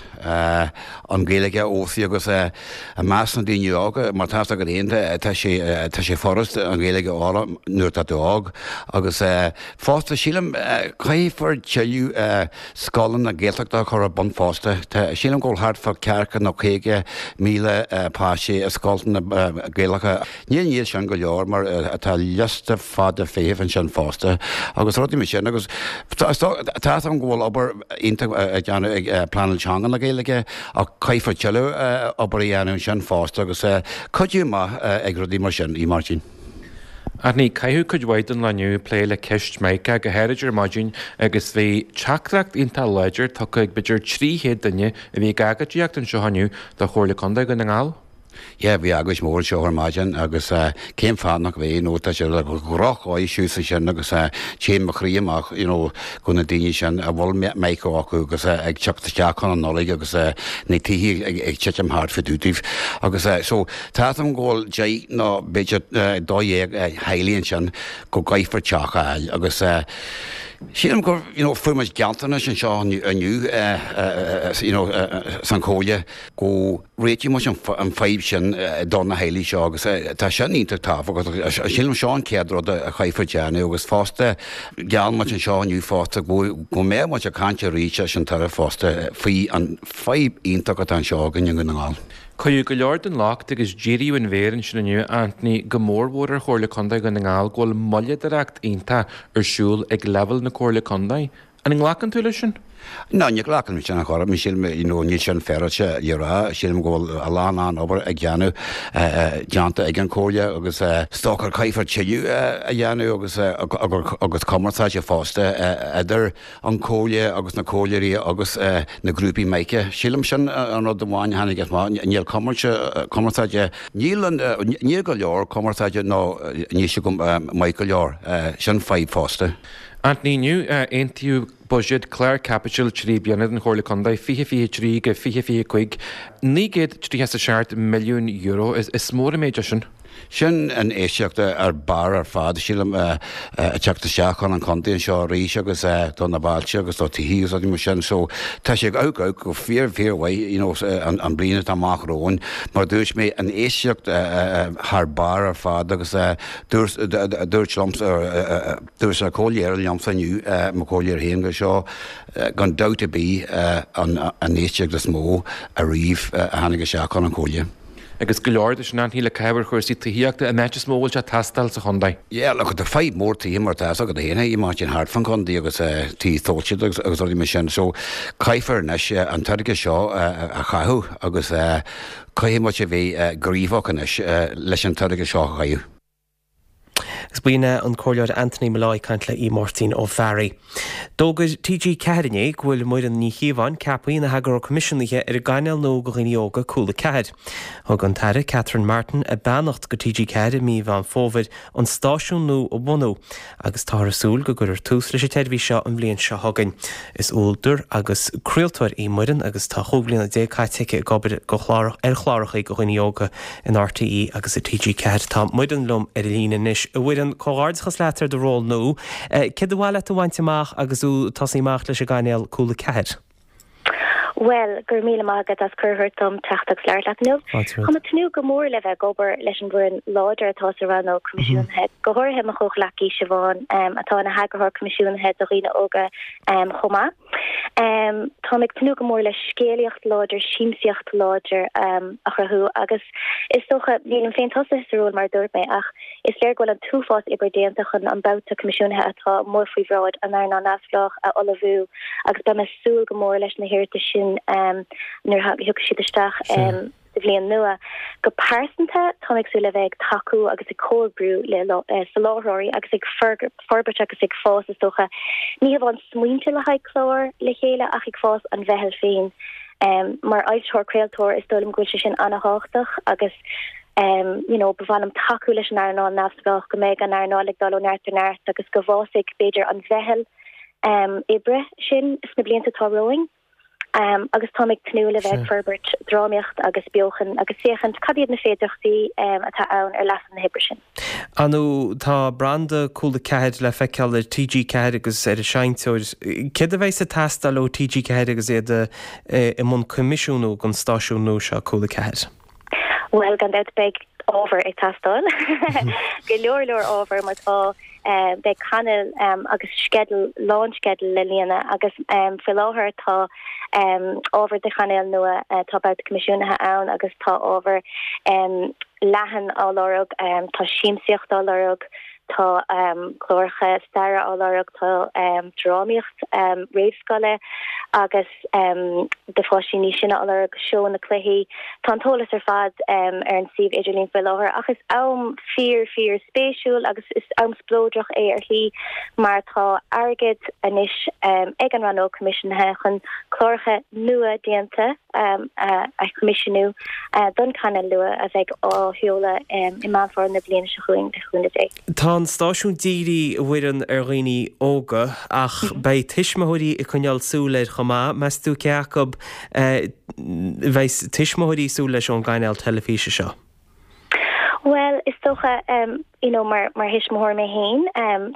an Ghaeilge a fheabhsú agus i measc na daoine óga, mar tá fhios agat féin, tá sé, tá sé furast an Ghaeilge a fhoghlaim nuair atá tú óg. Agus fosta, sílim, caithfear tuilleadh scoileanna Gaeltachta a chur ar bun fosta. Tá, sílim go bhfuil thart fá ceathracha nó 50,000 páistí i scoileanna Gaelacha. Níl níl sin go leor mar tá liosta fada feithimh ansin fosta agus rudaí mar sin agus tá a fhios agam go bhfuil obair iontach á déanamh ag Pleanáil Teanga na Gaeilge ach caithfear tuilleadh obair a dhéanamh ansin fosta agus cuidiú maith ag rudaí mar sin, a Mháirtín. Anthony, caitheadh cuid mhaith den lá inniu ag plé le ceist Micah, go háirid ar maidin agus bhí teachtaireacht iontach láidir tugtha ag b'fhéidir 300 duine a bhí ag agóidíocht anseo inniu do Chomhairle Contae Dhún na nGall. Yeah, bhí agóid mhór anseo ar maidin agus cén fáth nach mbeidh, you know, tá sé ar dhrochdhóigh suas ansin agus téann mo chroí amach, you know, go na daoine sin a bhfuil Micah acu agus ag teacht isteach chun an Nollaig agus na tithe ag titim thart fá dtaobh díobh. Agus so, tá fhios agam go bhfuil 10 nó b'fhéidir 12 theaghlaigh ansin go gcaithfear teach a fháil agus sílim gur, you know, fuair muid gealltanais anseo inniu, you know, san chomhairle go réiteoidh muid an fadhb sin do na theaghlaigh seo agus tá sin iontach tábhachtach. Sílim seo an chéad rud a chaithfear déanamh agus fosta gheall muid anseo inniu fosta go mbeadh muid ag caint arís leis an tAire fosta faoi an fadhb iontach atá anseo againn i nDún na nGall. Cuireadh go leor den locht agus díríodh an mhéar ansin inniu, Anthony, go mórmhór ar Chomhairle Contae Dhún na nGall go bhfuil moilleadóireacht iontach ar siúl ag leibhéal na Comhairle Contae. An nglacann tú leis sin? No, ní ghlacaim leis sin ar chor ar bith, sílim, you know, níl sin féaráilte le rá, sílim go bhfuil a lán lán obair ag déanamh, déanta ag an Chomhairle agus is dócha caithfear tuilleadh a dhéanamh agus agus cumarsáide fosta idir an Chomhairle agus na comhairleoirí agus na grúpaí mica. Sílim sin an rud amháin a tháinig amach, níl cumarsáide, níl an, níl go leor cumarsáide nó níl sé go maith go leor, sin fadhb fosta. Anthony, inniu aontaíodh buiséad clár caipitil 3 bliana don Chomhairle Contae, 2023-2025, €937 milliún. Is mór an méid é sin. Sin infheistíocht ar barr ar fad, sílim, ag teacht isteach chun an chontae anseo arís agus do na bailte agus do tithe agus rudaí mar sin. So tá sé ag amharc go fíor, fíor mhaith, you know, an bliain atá amach romhainn. Mar a dúirt mé, infheistíocht thar barr ar fad agus dúirt, dúirt liomsa, Dúirt an comhairleoir liomsa inniu, mo chomhairleoir féin, gur seo gan dabht ar bith an infheistíocht is mó ariamh a tháinig isteach chun an Chomhairle. Agus go leor de sin, Anthony, le caitheamh ar chúrsaí tithíochta, an áit is mó a bhfuil sé ag teastáil sa chontae. Yeah, look, tá fadhb mór tithe mar atá fhios agat féin, a Mháirtín, thart fán chontae agus tithe fáilte agus rudaí mar sin. So caithfear anois an t-airgead seo a chaitheamh agus caithfidh muid a bheith gníomhach anois leis an t-airgead seo a chaitheamh. Agus b'in é an Comhairleoir Anthony Molloy ag caint le Aodh Máirtín Ó Fearraigh. D'fhógair TG4 inné go bhfuil Muireann Ní Chíobháin ceaptha ina heagarthóir coimisiúnaithe ar an gcainéal nua do dhaoine óga, Cúla 4. Thug an tAire Catherine Martin a beannacht do TG4 i mí Mheán Fómhair an stáisiún nua a bhunú agus táthar ag súil go gcuirfear tús leis an tseirbhís seo an bhliain seo chugainn. Is údar agus craoltóir í Muireann agus tá 15 bliana caite aici ag obair go chlár ar chláracha do dhaoine óga in RTÉ agus i TG4. Tá Muireann liom ar an líne anois. A Mhuireann, comhghairdeachas leat ar do ról nua. Céard ba mhaith leat a bhaint amach agus tú ag tosaí amach leis an gcainéal Cúla 4? Bhuel, go raibh míle maith agat as cuireadh a thabhairt dom teacht agus labhairt leat inniu. Tá mé ag tnúth go mór le bheith ag obair leis an bhfoireann láidir atá sa rannóg coimisiúnaithe, go háirithe mo chomhghleacaí Siobhán, atá ina heagarthóir coimisiúnaithe do dhaoine óga chomh maith. Táim ag tnúth go mór le scéalaíocht láidir, siamsaíocht láidir a chruthú agus is dócha, nílim féin tosaithe sa ról mar a dúirt mé ach Is léir go bhfuil an t-uafás oibre déanta chun an babhta coimisiúnaithe atá amuigh faoi bhráid an earnáil neamhspleách a ullmhú agus beidh mé ag súil go mór leis na hiarratais sin nuair a thiocfaidh siad isteach sa bhliain nua. Go pearsanta, táim ag súil le bheith ag tacú agus ag comhoibriú le soláthróirí agus ag forbairt agus ag fás, is dócha, ní hamháin smaointe le haghaidh clár le chéile ach ag fás an mheitheal féin. Mar fhoilsitheoir craoltóir, is dóigh liom go bhfuil sé sin an-thábhachtach agus you know ba mhaith liom tacú leis an earnáil neamhspleách, go mbeidh an earnáil ag dul ó neart go neart agus go bhfásfaidh b'fhéidir an mheitheal oibre sin sna blianta atá romhainn. Agus táim ag tnúth le bheith ag forbairt drámaíocht agus beochan agus féachaint cad iad na féidearthachtaí atá ann ar leathadh na hoibre sin. Ar ndóigh, tá branda Cúla 4 le feiceáil ar TG4 agus ar an seinnteoir. Céard a bheas ag teastáil ó TG4 agus iad i mbun coimisiúnú don stáisiún nua seo, Cúla 4? Bhuel, gan dabht beidh ábhar ag teastáil. Go leor leor ábhar mar tá beidh cainéal agus sceideal, lánsceideal le líonadh agus faoi láthair tá ábhar do chainéal nua, tá babhta coimisiúnaithe ann agus tá ábhar leathan á lorg, tá siamsaíocht á lorg, tá cláracha staire á lorg, tá drámaíocht réamhscoile agus. do pháistí níos sine á lorg, seónna cluichí. Tá an t-eolas ar fad ar an suíomh idirlín faoi láthair ach is am fíor fíor spéisiúil agus is am spleodrach é ar shlí mar tá airgead anois ag an rannóg coimisiúnaithe chun cláracha nua déanta a choimisiúnú don chainéal nua a bheidh á sheoladh i Meán Fómhair na bliana seo chugainn, le cúnamh Dé. Tá an stáisiún dírithe, a Mhuireann, ar dhaoine óga ach beidh tuismitheoirí ag coinneáil súil air chomh maith. Meas tú cé acu a bheas tuismitheoirí ag súil leis ón gcainéal teilifíse seo? Bhuel, is dócha, you know, mar mar thuismitheoir mé féin,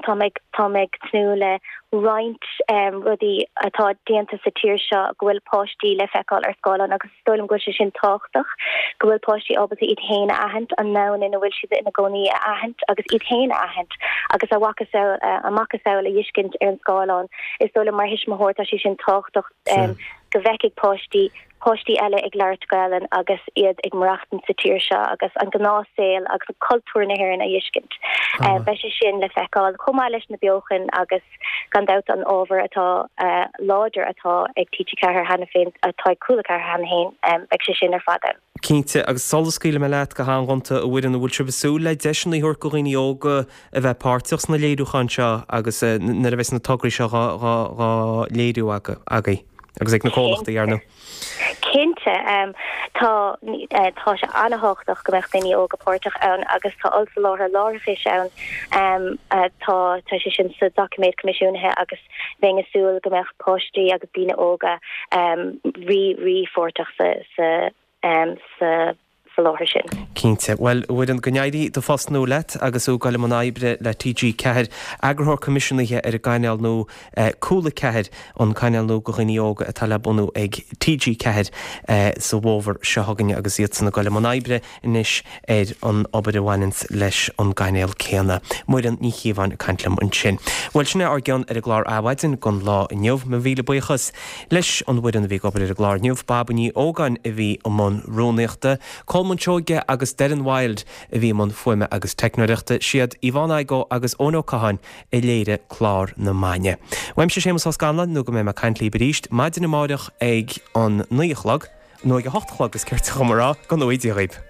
táim ag táim ag tnúth le roinnt rudaí atá déanta sa tír seo go bhfuil páistí le feiceáil ar scáileán agus is dóigh liom go bhfuil sé sin tábhachtach, go bhfuil páistí ábalta iad féin a aithint, an domhan ina bhfuil siad ina gcónaí a aithint agus iad féin a aithint agus a mhacasamhail a macasamhail a fheiscint ar an scáileán. Is dóigh liom mar thuismitheoir tá sé sin tábhachtach go bhfeicfidh páistí. páistí eile ag labhairt Gaelainn agus iad ag maireachtaint sa tír seo agus an gnáthshaol agus cultúr na hÉireann a fheiscint. Beidh sé sin le feiceáil chomh maith leis na beochain agus gan dabht an ábhar atá láidir atá ag TG4 cheana féin, atá ag Cúla 4 cheana féin, beidh sé sin ar fad ann. Cinnte, agus sula scaoilfidh mé leat go han-ghonta, a Mhuireann, an bhfuil sibh ag súil le deiseanna a thabhairt do dhaoine óga a bheith páirteach sna léiriúcháin seo agus nuair a bheas na tograí seo dhá léiriú agaibh agus ag na comhlachtaí, ar ndóigh? Cinnte. Tá, tá sé an-thábhachtach go mbeadh daoine óga páirteach ann agus tá ollsoláthar láithreachais ann. Tá, tá sé sin sa doiciméad coimisiúnaithe agus bheinn ag súil go mbeadh páistí agus daoine óga rí, rí-pháirteach sa, sa, sa soláthar sin. Cinnte. Bhuel, a Mhuireann, go n-éirí do phost nua leat agus thú ag dul i mbun oibre le TG4, eagarthóir coimisiúnaithe ar an gcainéal nua Cúla 4, an cainéal nua do dhaoine óga atá le bunú ag TG4 sa bhfómhar seo chugainn agus iadsan ag dul i mbun oibre anois ar an obair a bhaineanns leis an gcainéal céanna. Muireann Ní Chíobháin ag caint liom ansin. Bhuel, sin é ár gcion ar an gclár Adhmhaidin don lá inniu. Mo mhíle buíochas leis an bhfoireann a bhí ag obair ar an gclár inniu, Baba Ní Ógáin a bhí i mbun rúnaíochta, Colmán Seoige agus Doireann Wilde a bhí i mbun fuaime agus teicneoireachta. Siad Yvonne Igoe agus Eoin Ó Catháin a léirigh clár na maidne. Uaimse Séamus Ó Scanláin nó go mbeidh mé ag caint libh arís maidin amáireach ag an 9 a chlog, nó ag a 8 a chlog is cirte dhom a rá, go ngnóthaí Dia dhaoibh.